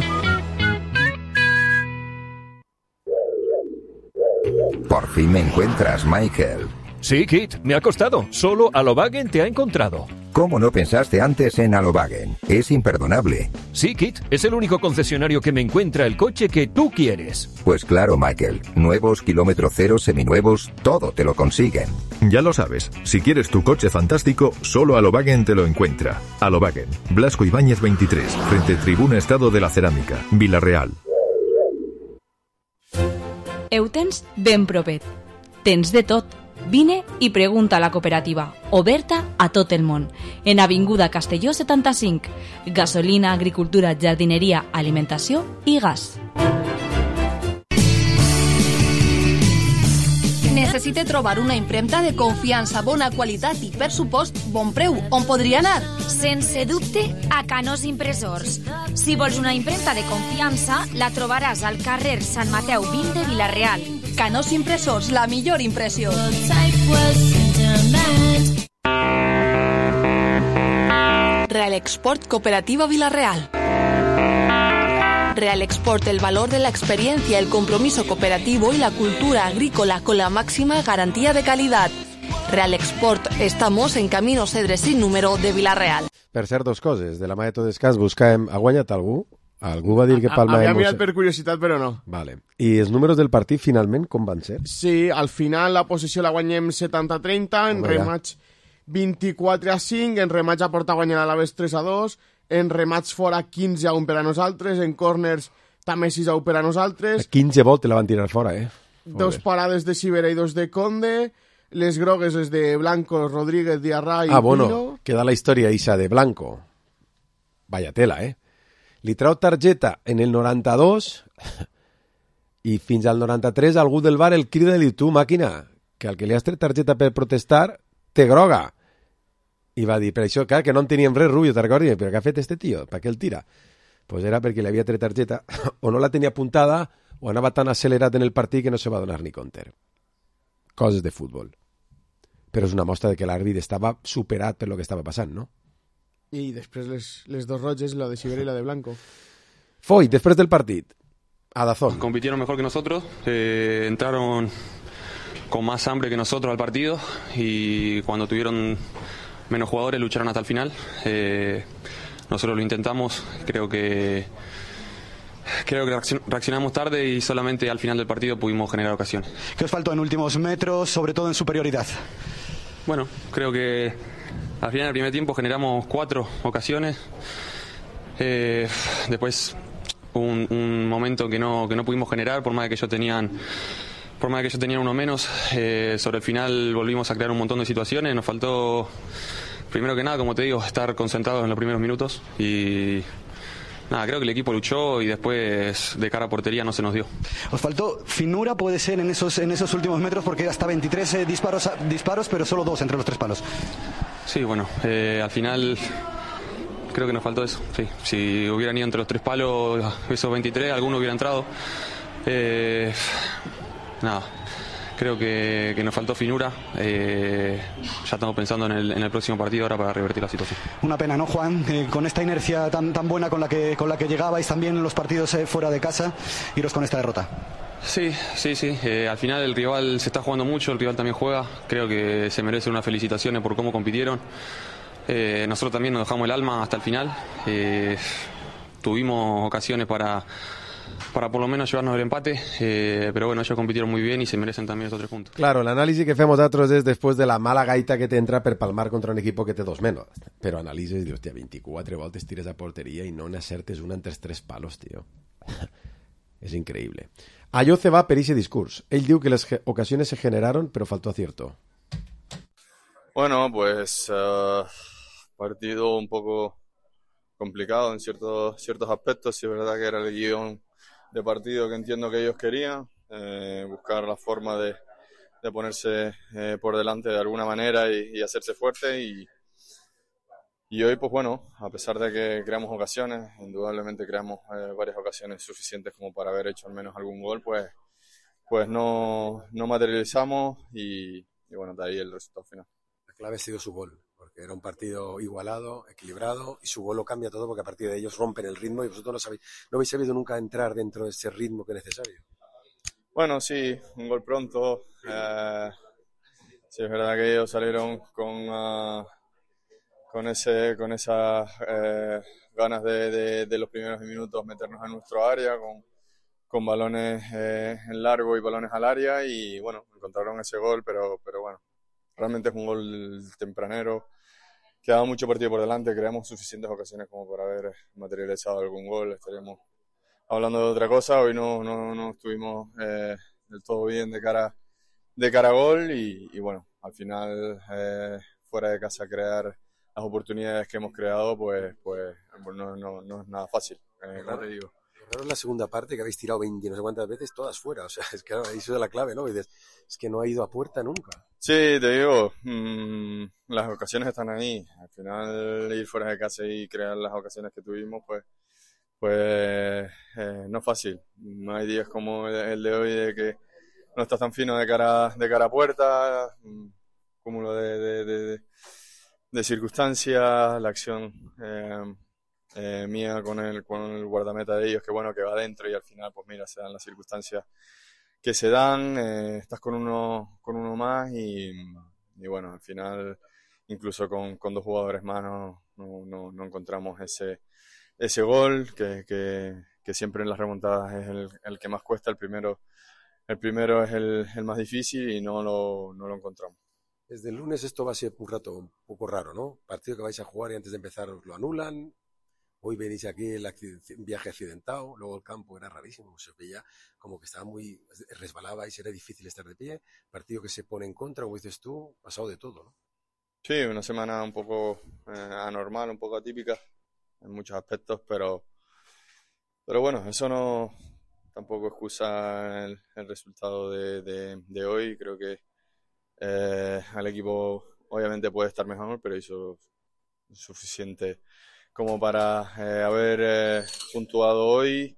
Por fin me encuentras, Michael.
Sí, Kit, me ha costado. Solo Alobagen te ha encontrado.
¿Cómo no pensaste antes en Alobagen? Es imperdonable.
Sí, Kit, es el único concesionario que me encuentra el coche que tú quieres.
Pues claro, Michael. Nuevos, kilómetro cero, seminuevos, todo te lo consiguen.
Ya lo sabes, si quieres tu coche fantástico, solo Alobagen te lo encuentra. Alobagen, Blasco Ibáñez veintitrés, frente Tribuna Estado de la Cerámica, Vila-real.
Heu tens ben propet. Tens de tot. Vine i pregunta a la cooperativa, oberta a tot el món. En Avinguda Castelló setanta-cinc. Gasolina, agricultura, jardineria, alimentació i gas.
Necessite trobar una impremta de confiança, bona qualitat i, per supost, bon preu. On podria anar?
Sense dubte, a Canós Impressors. Si vols una impremta de confiança, la trobaràs al carrer Sant Mateu vint de Vila-real.
Canós Impressors, la millor impressió. Real Export Cooperativa Vila-real. Real Export, el valor de la experiencia, el compromiso cooperativo y la cultura agrícola con la máxima garantía de calidad. Real Export, estamos en Camino Cedres sin número de Vila-real.
Per cert, dos coses. De la mà de tot descans buscàvem... Ha guanyat algú? Algú va dir que Palma...
Havia mirat per curiositat, però no.
Vale. I els números del partit, finalment, com van ser?
Sí, al final la possessió la guanyem setanta a trenta, en rematch vint-i-quatre a cinc, en rematch a porta guanyant a l'Aves tres a dos, en rematch fora quinze a un per a nosaltres, en corners també sis a un per a nosaltres.
A quinze volte la van tirar fora, eh?
Dos parades de Sibera i dos de Conde, les grogues les de Blanco, Rodríguez, Diarra i
ah, bueno,
Pino.
Queda la història isa de Blanco. Vaya tela, eh? Li trau targeta en el noranta-dos i fins al noranta-tres algú del bar el crida i li diu, tu, màquina, que al que li has tret targeta per protestar té groga. I va dir, per això, clar, que no en teníem res, Rubio, te recordi, però què ha fet este tio? Per què el tira? pues era perquè li havia tret targeta, o no la tenia apuntada, o anava tan accelerat en el partit que no se va donar ni compte. Coses de futbol. Però és una mostra de que l'àrbit estava superat per lo que estava passant, no?
I després les, les dos roges, la de Sibera i la de Blanco.
Foy, després del partit, a Dazón.
Compitieron mejor que nosotros, eh, entraron con más hambre que nosotros al partido y cuando tuvieron menos jugadores lucharon hasta el final. Eh, nosotros lo intentamos, creo que creo que reaccionamos tarde y solamente al final del partido pudimos generar ocasiones.
¿Qué os faltó en últimos metros, sobre todo en superioridad?
Bueno, creo que al final del primer tiempo generamos cuatro ocasiones. Eh, después un, un momento que no que no pudimos generar por más de que ellos tenían por más de que ellos tenían uno menos. Eh, sobre el final volvimos a crear un montón de situaciones. Nos faltó, primero que nada, como te digo, estar concentrados en los primeros minutos y nada, creo que el equipo luchó y después de cara a portería no se nos dio.
Os faltó finura, puede ser, en esos en esos últimos metros, porque hasta veintitrés eh, disparos disparos, pero solo dos entre los tres palos.
Sí, bueno, eh, al final creo que nos faltó eso. Sí, si hubieran ido entre los tres palos, esos veintitrés, alguno hubiera entrado. Eh, nada, creo que, que nos faltó finura. Eh, ya estamos pensando en el, en el próximo partido ahora para revertir la situación.
Una pena, ¿no, Juan? Eh, con esta inercia tan tan buena con la que con la que llegabais también en los partidos eh, fuera de casa, iros con esta derrota.
Sí, sí, sí. Eh, al final el rival se está jugando mucho, el rival también juega. Creo que se merecen unas felicitaciones por cómo compitieron. Eh, nosotros también nos dejamos el alma hasta el final. Eh, tuvimos ocasiones para, para por lo menos llevarnos el empate, eh, pero bueno, ellos compitieron muy bien y se merecen también esos tres puntos.
Claro, l'anàlisi que fem nosaltres és després de la mala gaita que t'entra per palmar contra un equip que té dos menos. Però analitzes i dius, hòstia, veinticuatro voltes tires a porteria i no n'acertes una entre els tres palos, tio. És increïble. Allò se va per ese discurs. Ell diu que les ocasiones se generaron, pero faltó acierto.
Bueno, pues uh, partido un poco complicado en ciertos ciertos aspectos. Sí, es verdad que era el guión de partido que entiendo que ellos querían, eh, buscar la forma de, de ponerse eh, por delante de alguna manera y, y hacerse fuerte. Y, y hoy, pues bueno, a pesar de que creamos ocasiones, indudablemente creamos eh, varias ocasiones suficientes como para haber hecho al menos algún gol, pues, pues no, no materializamos y, y bueno, de ahí el resultado final.
La clave ha sido su gol, porque era un partido igualado, equilibrado, y su gol lo cambia todo porque a partir de ellos rompen el ritmo y vosotros no, sabéis, no habéis sabido nunca entrar dentro de ese ritmo que es necesario.
Bueno, sí, un gol pronto. Eh, sí, es verdad que ellos salieron con, uh, con, ese, con esas eh, ganas de, de, de los primeros minutos meternos en nuestro área, con, con balones eh, en largo y balones al área, y bueno, encontraron ese gol, pero, pero bueno. Realmente es un gol tempranero, quedaba mucho partido por delante, creamos suficientes ocasiones como para haber materializado algún gol. Estaríamos hablando de otra cosa, hoy no, no, no estuvimos eh, del todo bien de cara, de cara a gol y, y bueno, al final eh, fuera de casa crear las oportunidades que hemos creado, pues, pues no, no, no es nada fácil, eh, como te digo.
Claro, es la segunda parte que habéis tirado veinte no sé cuántas veces, todas fuera. O sea, es que ahora eso es la clave, ¿no? Y dices, es que no ha ido a puerta nunca.
Sí, te digo, mmm, las ocasiones están ahí. Al final, ir fuera de casa y crear las ocasiones que tuvimos, pues, pues eh, no es fácil. No hay días como el de hoy de que no estás tan fino de cara, de cara a puerta, un cúmulo de, de, de, de circunstancias, la acción. Eh, Eh, mía con el, con el guardameta de ellos, que bueno, que va adentro y al final, pues mira, se dan las circunstancias que se dan, eh, estás con uno, con uno más y, y bueno, al final, incluso con, con dos jugadores más no, no, no, no encontramos ese, ese gol que, que, que siempre en las remontadas es el, el que más cuesta, el primero, el primero es el, el más difícil y no lo, no lo encontramos.
Desde el lunes esto va a ser un rato un poco raro, ¿no? Partido que vais a jugar y antes de empezar os lo anulan. Hoy venís aquí el un viaje accidentado, luego el campo era rarísimo, se veía como que estaba muy, resbalabais, era difícil estar de pie, partido que se pone en contra, como dices tú, pasado de todo, ¿no?
Sí, una semana un poco eh, anormal, un poco atípica en muchos aspectos, pero, pero bueno, eso no tampoco excusa el, el resultado de, de, de hoy. Creo que eh, el equipo obviamente puede estar mejor, pero hizo suficiente como para eh, haber eh, puntuado hoy.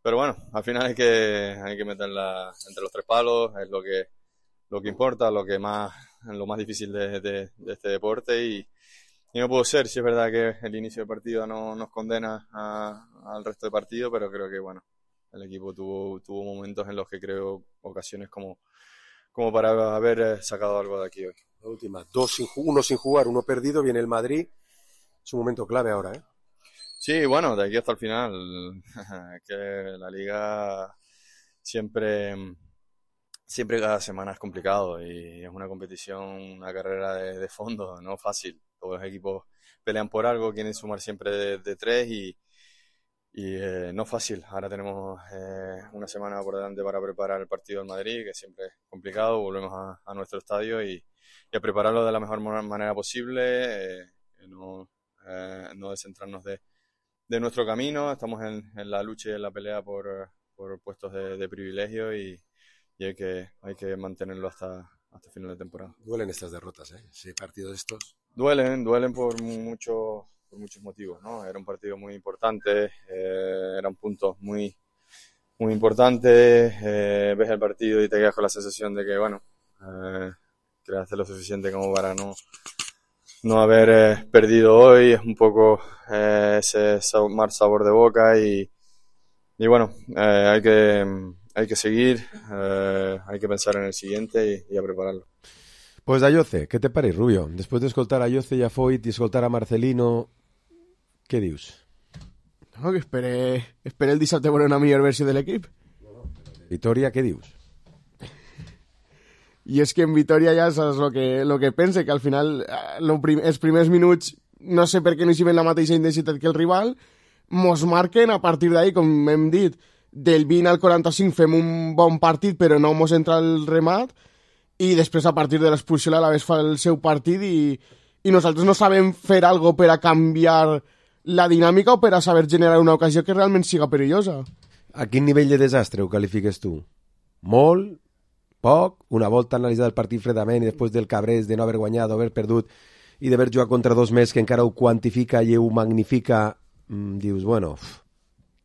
Pero bueno, al final hay que, hay que meterla entre los tres palos, es lo que, lo que importa, lo que más, lo más difícil de, de, de este deporte y, y no puedo ser, si es verdad que el inicio del partido no nos condena a, al resto del partido, pero creo que bueno, el equipo tuvo, tuvo momentos en los que creo ocasiones como, como para haber sacado algo de aquí hoy.
La última, dos sin, uno sin jugar, uno perdido, viene el Madrid, es un momento clave ahora, ¿eh?
Sí, bueno, de aquí hasta el final, que la liga siempre, siempre cada semana es complicado y es una competición, una carrera de, de fondo, no fácil. Todos los equipos pelean por algo, quieren sumar siempre de, de tres y, y eh, no fácil. Ahora tenemos eh, una semana por delante para preparar el partido del Madrid, que siempre es complicado, volvemos a, a nuestro estadio y, y a prepararlo de la mejor manera posible, eh, no, eh, no descentrarnos de de nuestro camino, estamos en, en la lucha y en la pelea por, por puestos de, de privilegio y, y hay que hay que mantenerlo hasta, hasta final de temporada.
Duelen estas derrotas, ¿eh? Ese partido de estos.
Duelen, duelen por, mucho, por muchos motivos, ¿no? Era un partido muy importante, eh, eran puntos muy, muy importantes, eh, ves el partido y te quedas con la sensación de que, bueno, eh, creaste lo suficiente como para no no haber eh, perdido hoy, es un poco eh, ese sabor, mal sabor de boca y, y bueno, eh, hay que hay que seguir, eh, hay que pensar en el siguiente y, y a prepararlo.
Pues a Ayoce, què te pareix, Rubio? Després d'escoltar a Ayoce i a Foyt i escoltar a Marcelino, què dius?
No, que espere, espere el dissabte veure una millor versió de l'equip.
Vitòria, què dius?
I és que en Vitòria ja saps el que, lo que pense, que al final lo prim, els primers minuts no sé per què no hi ven la mateixa intensitat que el rival, mos marquen a partir d'ahí, com hem dit, del vint al quaranta-cinc fem un bon partit però no mos entra el remat i després a partir de l'expulsió l'Alavés fa el seu partit i, i nosaltres no sabem fer algo per a canviar la dinàmica o per a saber generar una ocasió que realment siga perillosa.
A quin nivell de desastre ho qualifiques tu? Molt? Poc? Una volta analitzat el partit fredament i després del cabrés de no haver guanyat, haver perdut i d'haver jugat contra dos més que encara ho quantifica i ho magnifica, mmm, dius, bueno,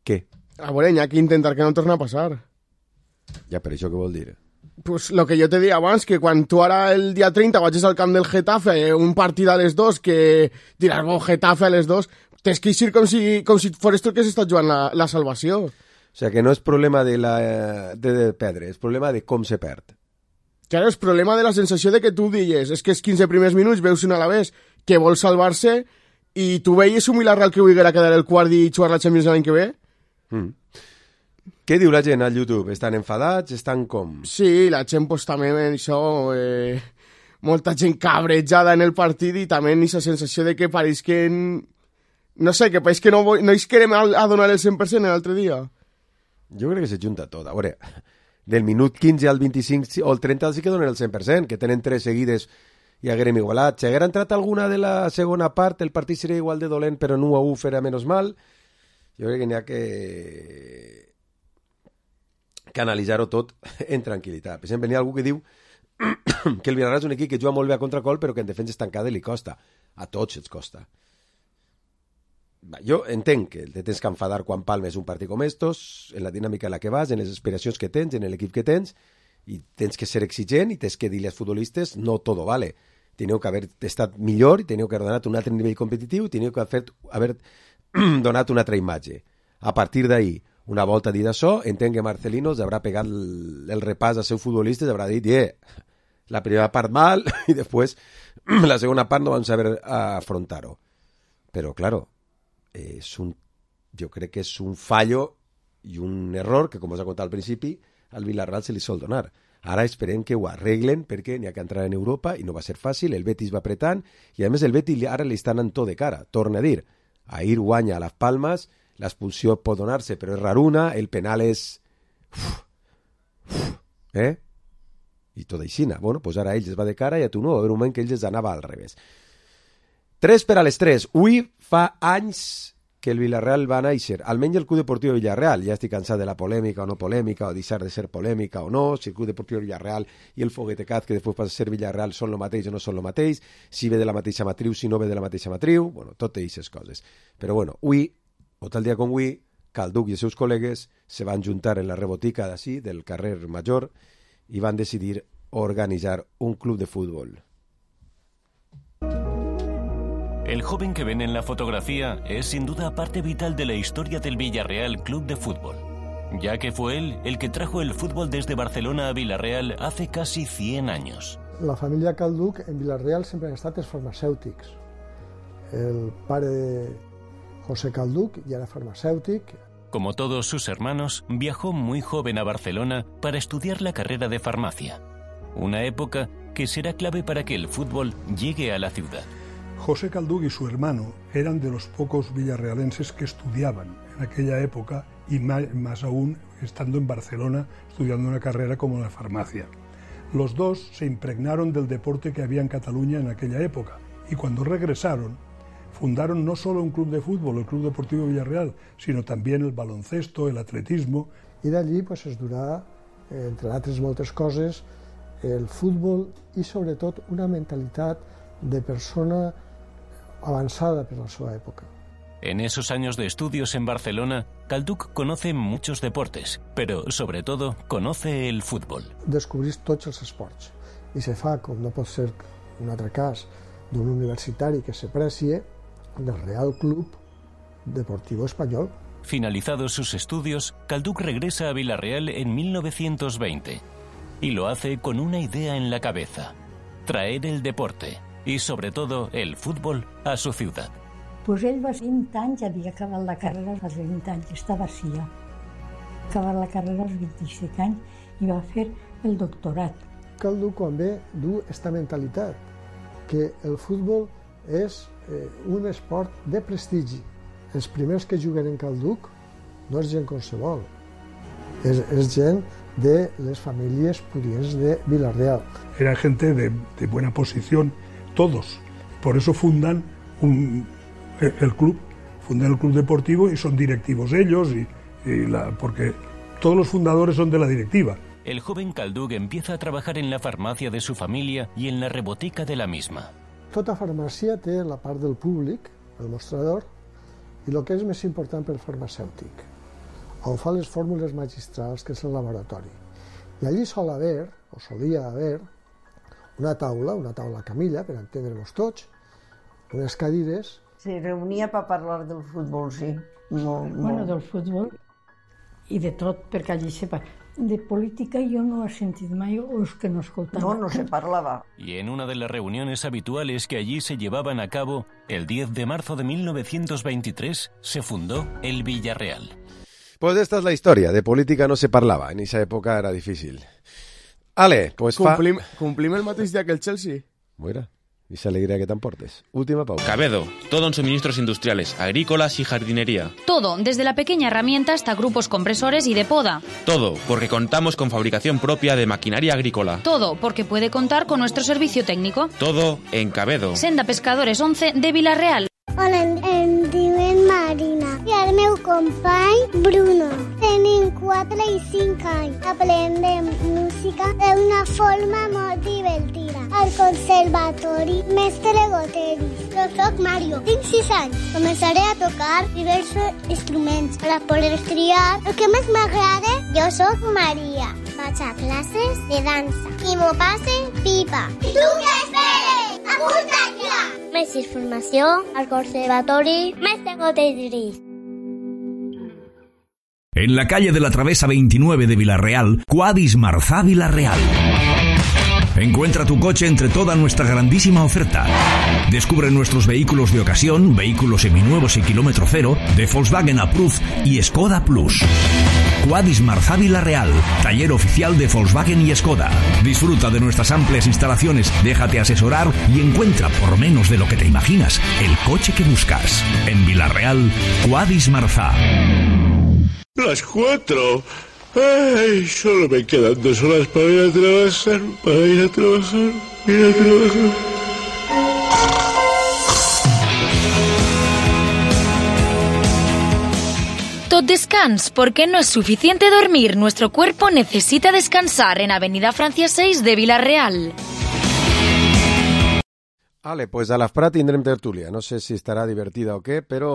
què?
A veure, hi ha que intentar que no torni a passar.
Ja, per això què vol dir?
Pues lo que jo te deia abans, que quan tu ara el dia treinta vagis al camp del Getafe, un partit a les dos, que diràs, bo, Getafe a les dos, tens que eixir com si, com si fores tu que s'està jugant la, la salvació.
O sea, que no és problema de, la, de, de perdre, és problema de com se perd.
Claro, és problema de la sensació de que tu digues, és que els quinze primers minuts veus un Alavés que vol salvar-se i tu veies un Villarreal que volguera quedar el quart i jugar la Champions l'any que ve?
Mm. Què diu la gent al YouTube? Estan enfadats? Estan com?
Sí, la gent pues, també en això... Eh, molta gent cabrejada en el partit i també en aquesta sensació de que pareix que... No sé, que pareix que no, no es querem a donar el cent per cent l'altre dia.
Jo crec que se junta tot. A veure, del minut quinze al vint-i-cinc o el trenta sí que donen el cent per cent, que tenen tres seguides i haguérem igualat. Si haguera entrat alguna de la segona part, el partit seria igual de dolent, però en u a u farà menys mal. Jo crec que n'hi ha que... que analitzar-ho tot en tranquil·litat. Per exemple, n'hi ha algú que diu que el Villarreal és un equip que juga molt bé a contracol, però que en defensa estancada li costa. A tots els costa. Jo entenc que te tens que enfadar quan palmes un partit com estos, en la dinàmica en la que vas, en les aspiracions que tens, en l'equip que tens, i tens que ser exigent i tens que dir als futbolistes no todo vale. Teniu que haver estat millor i teniu que haver donat un altre nivell competitiu i teniu que haver, haver donat una altra imatge. A partir d'ahí, una volta dit això, entenc que Marcelino haurà pegat el, el repàs als seus futbolistes, haurà dit, eh, la primera part mal i després la segona part no vam saber afrontar-ho. Però, claro, és un, jo crec que és un fallo i un error que, com us he contat al principi, al Villarreal se li sol donar. Ara esperem que ho arreglen perquè n'hi ha que entrar en Europa i no va ser fàcil, el Betis va apretant i a més el Betis ara li està anant tot de cara. Torna a dir, ahir guanya a Las Palmas, l'expulsió pot donar-se però és raruna, el penal és... Uf, uf, eh? I tot aixina. Bueno, doncs ara ells es va de cara i a tu no, va haver un moment que ells es anava al revés. Tres per a les tres. Ui fa anys que el Villarreal va a néixer, almenys el Club Deportiu Villarreal, ja estic cansat de la polèmica o no polèmica, o deixar de ser polèmica o no, si el Club Deportiu Villarreal i el Foguetecaz, que després passa a ser Villarreal, són el mateix o no són el mateix, si ve de la mateixa matriu, si no ve de la mateixa matriu, bueno, totes aquestes coses. Però bueno, avui, o tal dia com avui, Calduc i els seus col·legues se van juntar en la rebotica d'ací, del carrer Major, i van decidir organitzar un club de fútbol.
El joven que ven en la fotografía es sin duda parte vital de la historia del Villarreal Club de Fútbol, ya que fue él el que trajo el fútbol desde Barcelona a Villarreal hace casi cien años.
La família Calduc en Villarreal sempre han estat els farmacèutics. El pare de José Calduc ya era farmacèutic.
Como todos sus hermanos, viajó muy joven a Barcelona para estudiar la carrera de farmacia, una época que será clave para que el fútbol llegue a la ciudad.
José Calduc y su hermano eran de los pocos villarrealenses que estudiaban en aquella época y más, más aún estando en Barcelona estudiando una carrera como la farmacia. Los dos se impregnaron del deporte que había en Cataluña en aquella época y cuando regresaron fundaron no solo un club de fútbol, el Club Deportivo Villarreal, sino también el baloncesto, el atletismo.
I d'allí pues, es durà, entre altres moltes coses, el futbol i sobretot una mentalitat de persona avanzada per la seva època.
En esos años de estudios en Barcelona, Calduc conoce muchos deportes, pero sobre todo conoce el fútbol.
Descobrís tots els esports i se fa, com no pot ser un altre cas, d'un universitari que se precie del Real Club Deportivo Español.
Finalizados sus estudios, Calduc regresa a Villarreal en mil novecientos veinte y lo hace con una idea en la cabeza: traer el deporte y sobre todo el fútbol a su ciudad.
Pues ell va vint anys, havia acabat la carrera als vint anys, estava així ja. Acabat la carrera als vint-i-cinc anys i va fer el doctorat.
Calduc quan ve du esta mentalitat, que el futbol és eh, un esport de prestigi. Els primers que juguen en Calduc no és gent qualsevol, és, és gent de les famílies pudients de Villarreal.
Era gente de, de buena posición, todos. Por eso fundan un, el club, fundan el club deportivo y son directivos ellos, y, y la, porque todos los fundadores son de la directiva.
El joven Calduc empieza a trabajar en la farmacia de su familia y en la rebotica de la misma.
Tota farmàcia té la part del públic, el mostrador, i el que és més important per farmacèutic, on fa les fórmules magistrals, que és el laboratori. I allí sol haver, o solia haver, una taula, una taula camilla, per entendre-nos tots, unes cadires.
Se reunia per parlar del futbol, sí. Molt,
bueno,
molt.
del futbol i de tot, perquè allí se parla. De política jo no he sentit mai, o és que no escoltava.
No, no se parlava.
Y en una de las reuniones habituales que allí se llevaban a cabo, el diez de marzo de mil novecientos veintitrés se fundó el Villarreal.
Pues esta es la historia. De política no se parlava. En esa época era difícil. Ale, pues fa...
Complim, complim el mateix dia que el Chelsea.
Mira, y esa alegría que te emportes. Última pausa.
Cabedo, todo en suministros industriales, agrícolas y jardinería.
Todo, desde la pequeña herramienta hasta grupos compresores y de poda.
Todo, porque contamos con fabricación propia de maquinaria agrícola.
Todo, porque puede contar con nuestro servicio técnico.
Todo en Cabedo.
Senda Pescadores once de Villarreal.
Hola, em, em diuen Marina i el meu company Bruno. Tenim quatre i cinc anys. Aprendem música d'una forma molt divertida. Al conservatori Mestre Goteris. Jo soc Mario, tinc sis anys. Començaré a tocar diversos instruments per a poder triar el que més m'agrada. Jo soc Maria. Vaig a classes de dansa i m'ho passe pipa. I tu què esperes? Apunta't ja! Més informació al Conservatori Mestre Goteris.
En la calle de la Travesa veintinueve de Villarreal, Quadis Marzá Villarreal. Encuentra tu coche entre toda nuestra grandísima oferta. Descubre nuestros vehículos de ocasión, vehículos seminuevos y kilómetro cero, de Volkswagen Approved y Skoda Plus. Quadis Marzá Villarreal, taller oficial de Volkswagen y Skoda. Disfruta de nuestras amplias instalaciones, déjate asesorar y encuentra por menos de lo que te imaginas el coche que buscas. En Villarreal, Quadis Marzá.
Las cuatro. Ay, solo me quedan dos horas para ir a trabajar, para ir a trabajar, ir a trabajar.
tot descans, porque no es suficiente dormir, nuestro cuerpo necesita descansar en Avenida Francia seis de Villarreal.
Vale, pues a l'Afprat tindrem tertúlia. No sé si estarà divertida o què, però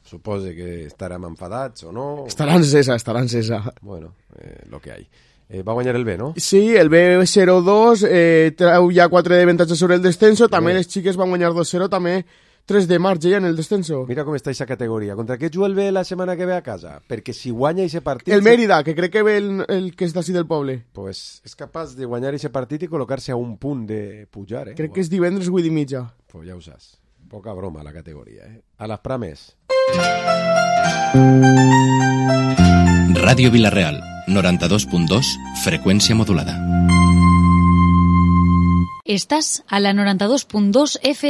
supose que estarem enfadats o no.
Estarà encesa, estarà encesa.
Bueno, eh, lo que hay. Eh, va guanyar el B, no?
Sí, el B cero dos, eh, treu ja quatre d'avantatge sobre el descenso, també les xiques van guanyar dos cero, també tres de marge ja en el descenso.
Mira com està aquesta categoria. Contra què juga el B la setmana que ve a casa? Perquè si guanya aquest partit...
El Mérida, que crec que ve el, el que és d'ací del poble.
Pues és capaç de guanyar aquest partit i col·locar-se a un punt de pujar, eh?
Crec bueno. que és divendres vuit i mitja.
Pues ja ho saps. Poca broma la categoria, eh? A les prames.
Ràdio Vilareal, noranta-dos punt dos, freqüència modulada.
Estás a la noranta-dos punt dos F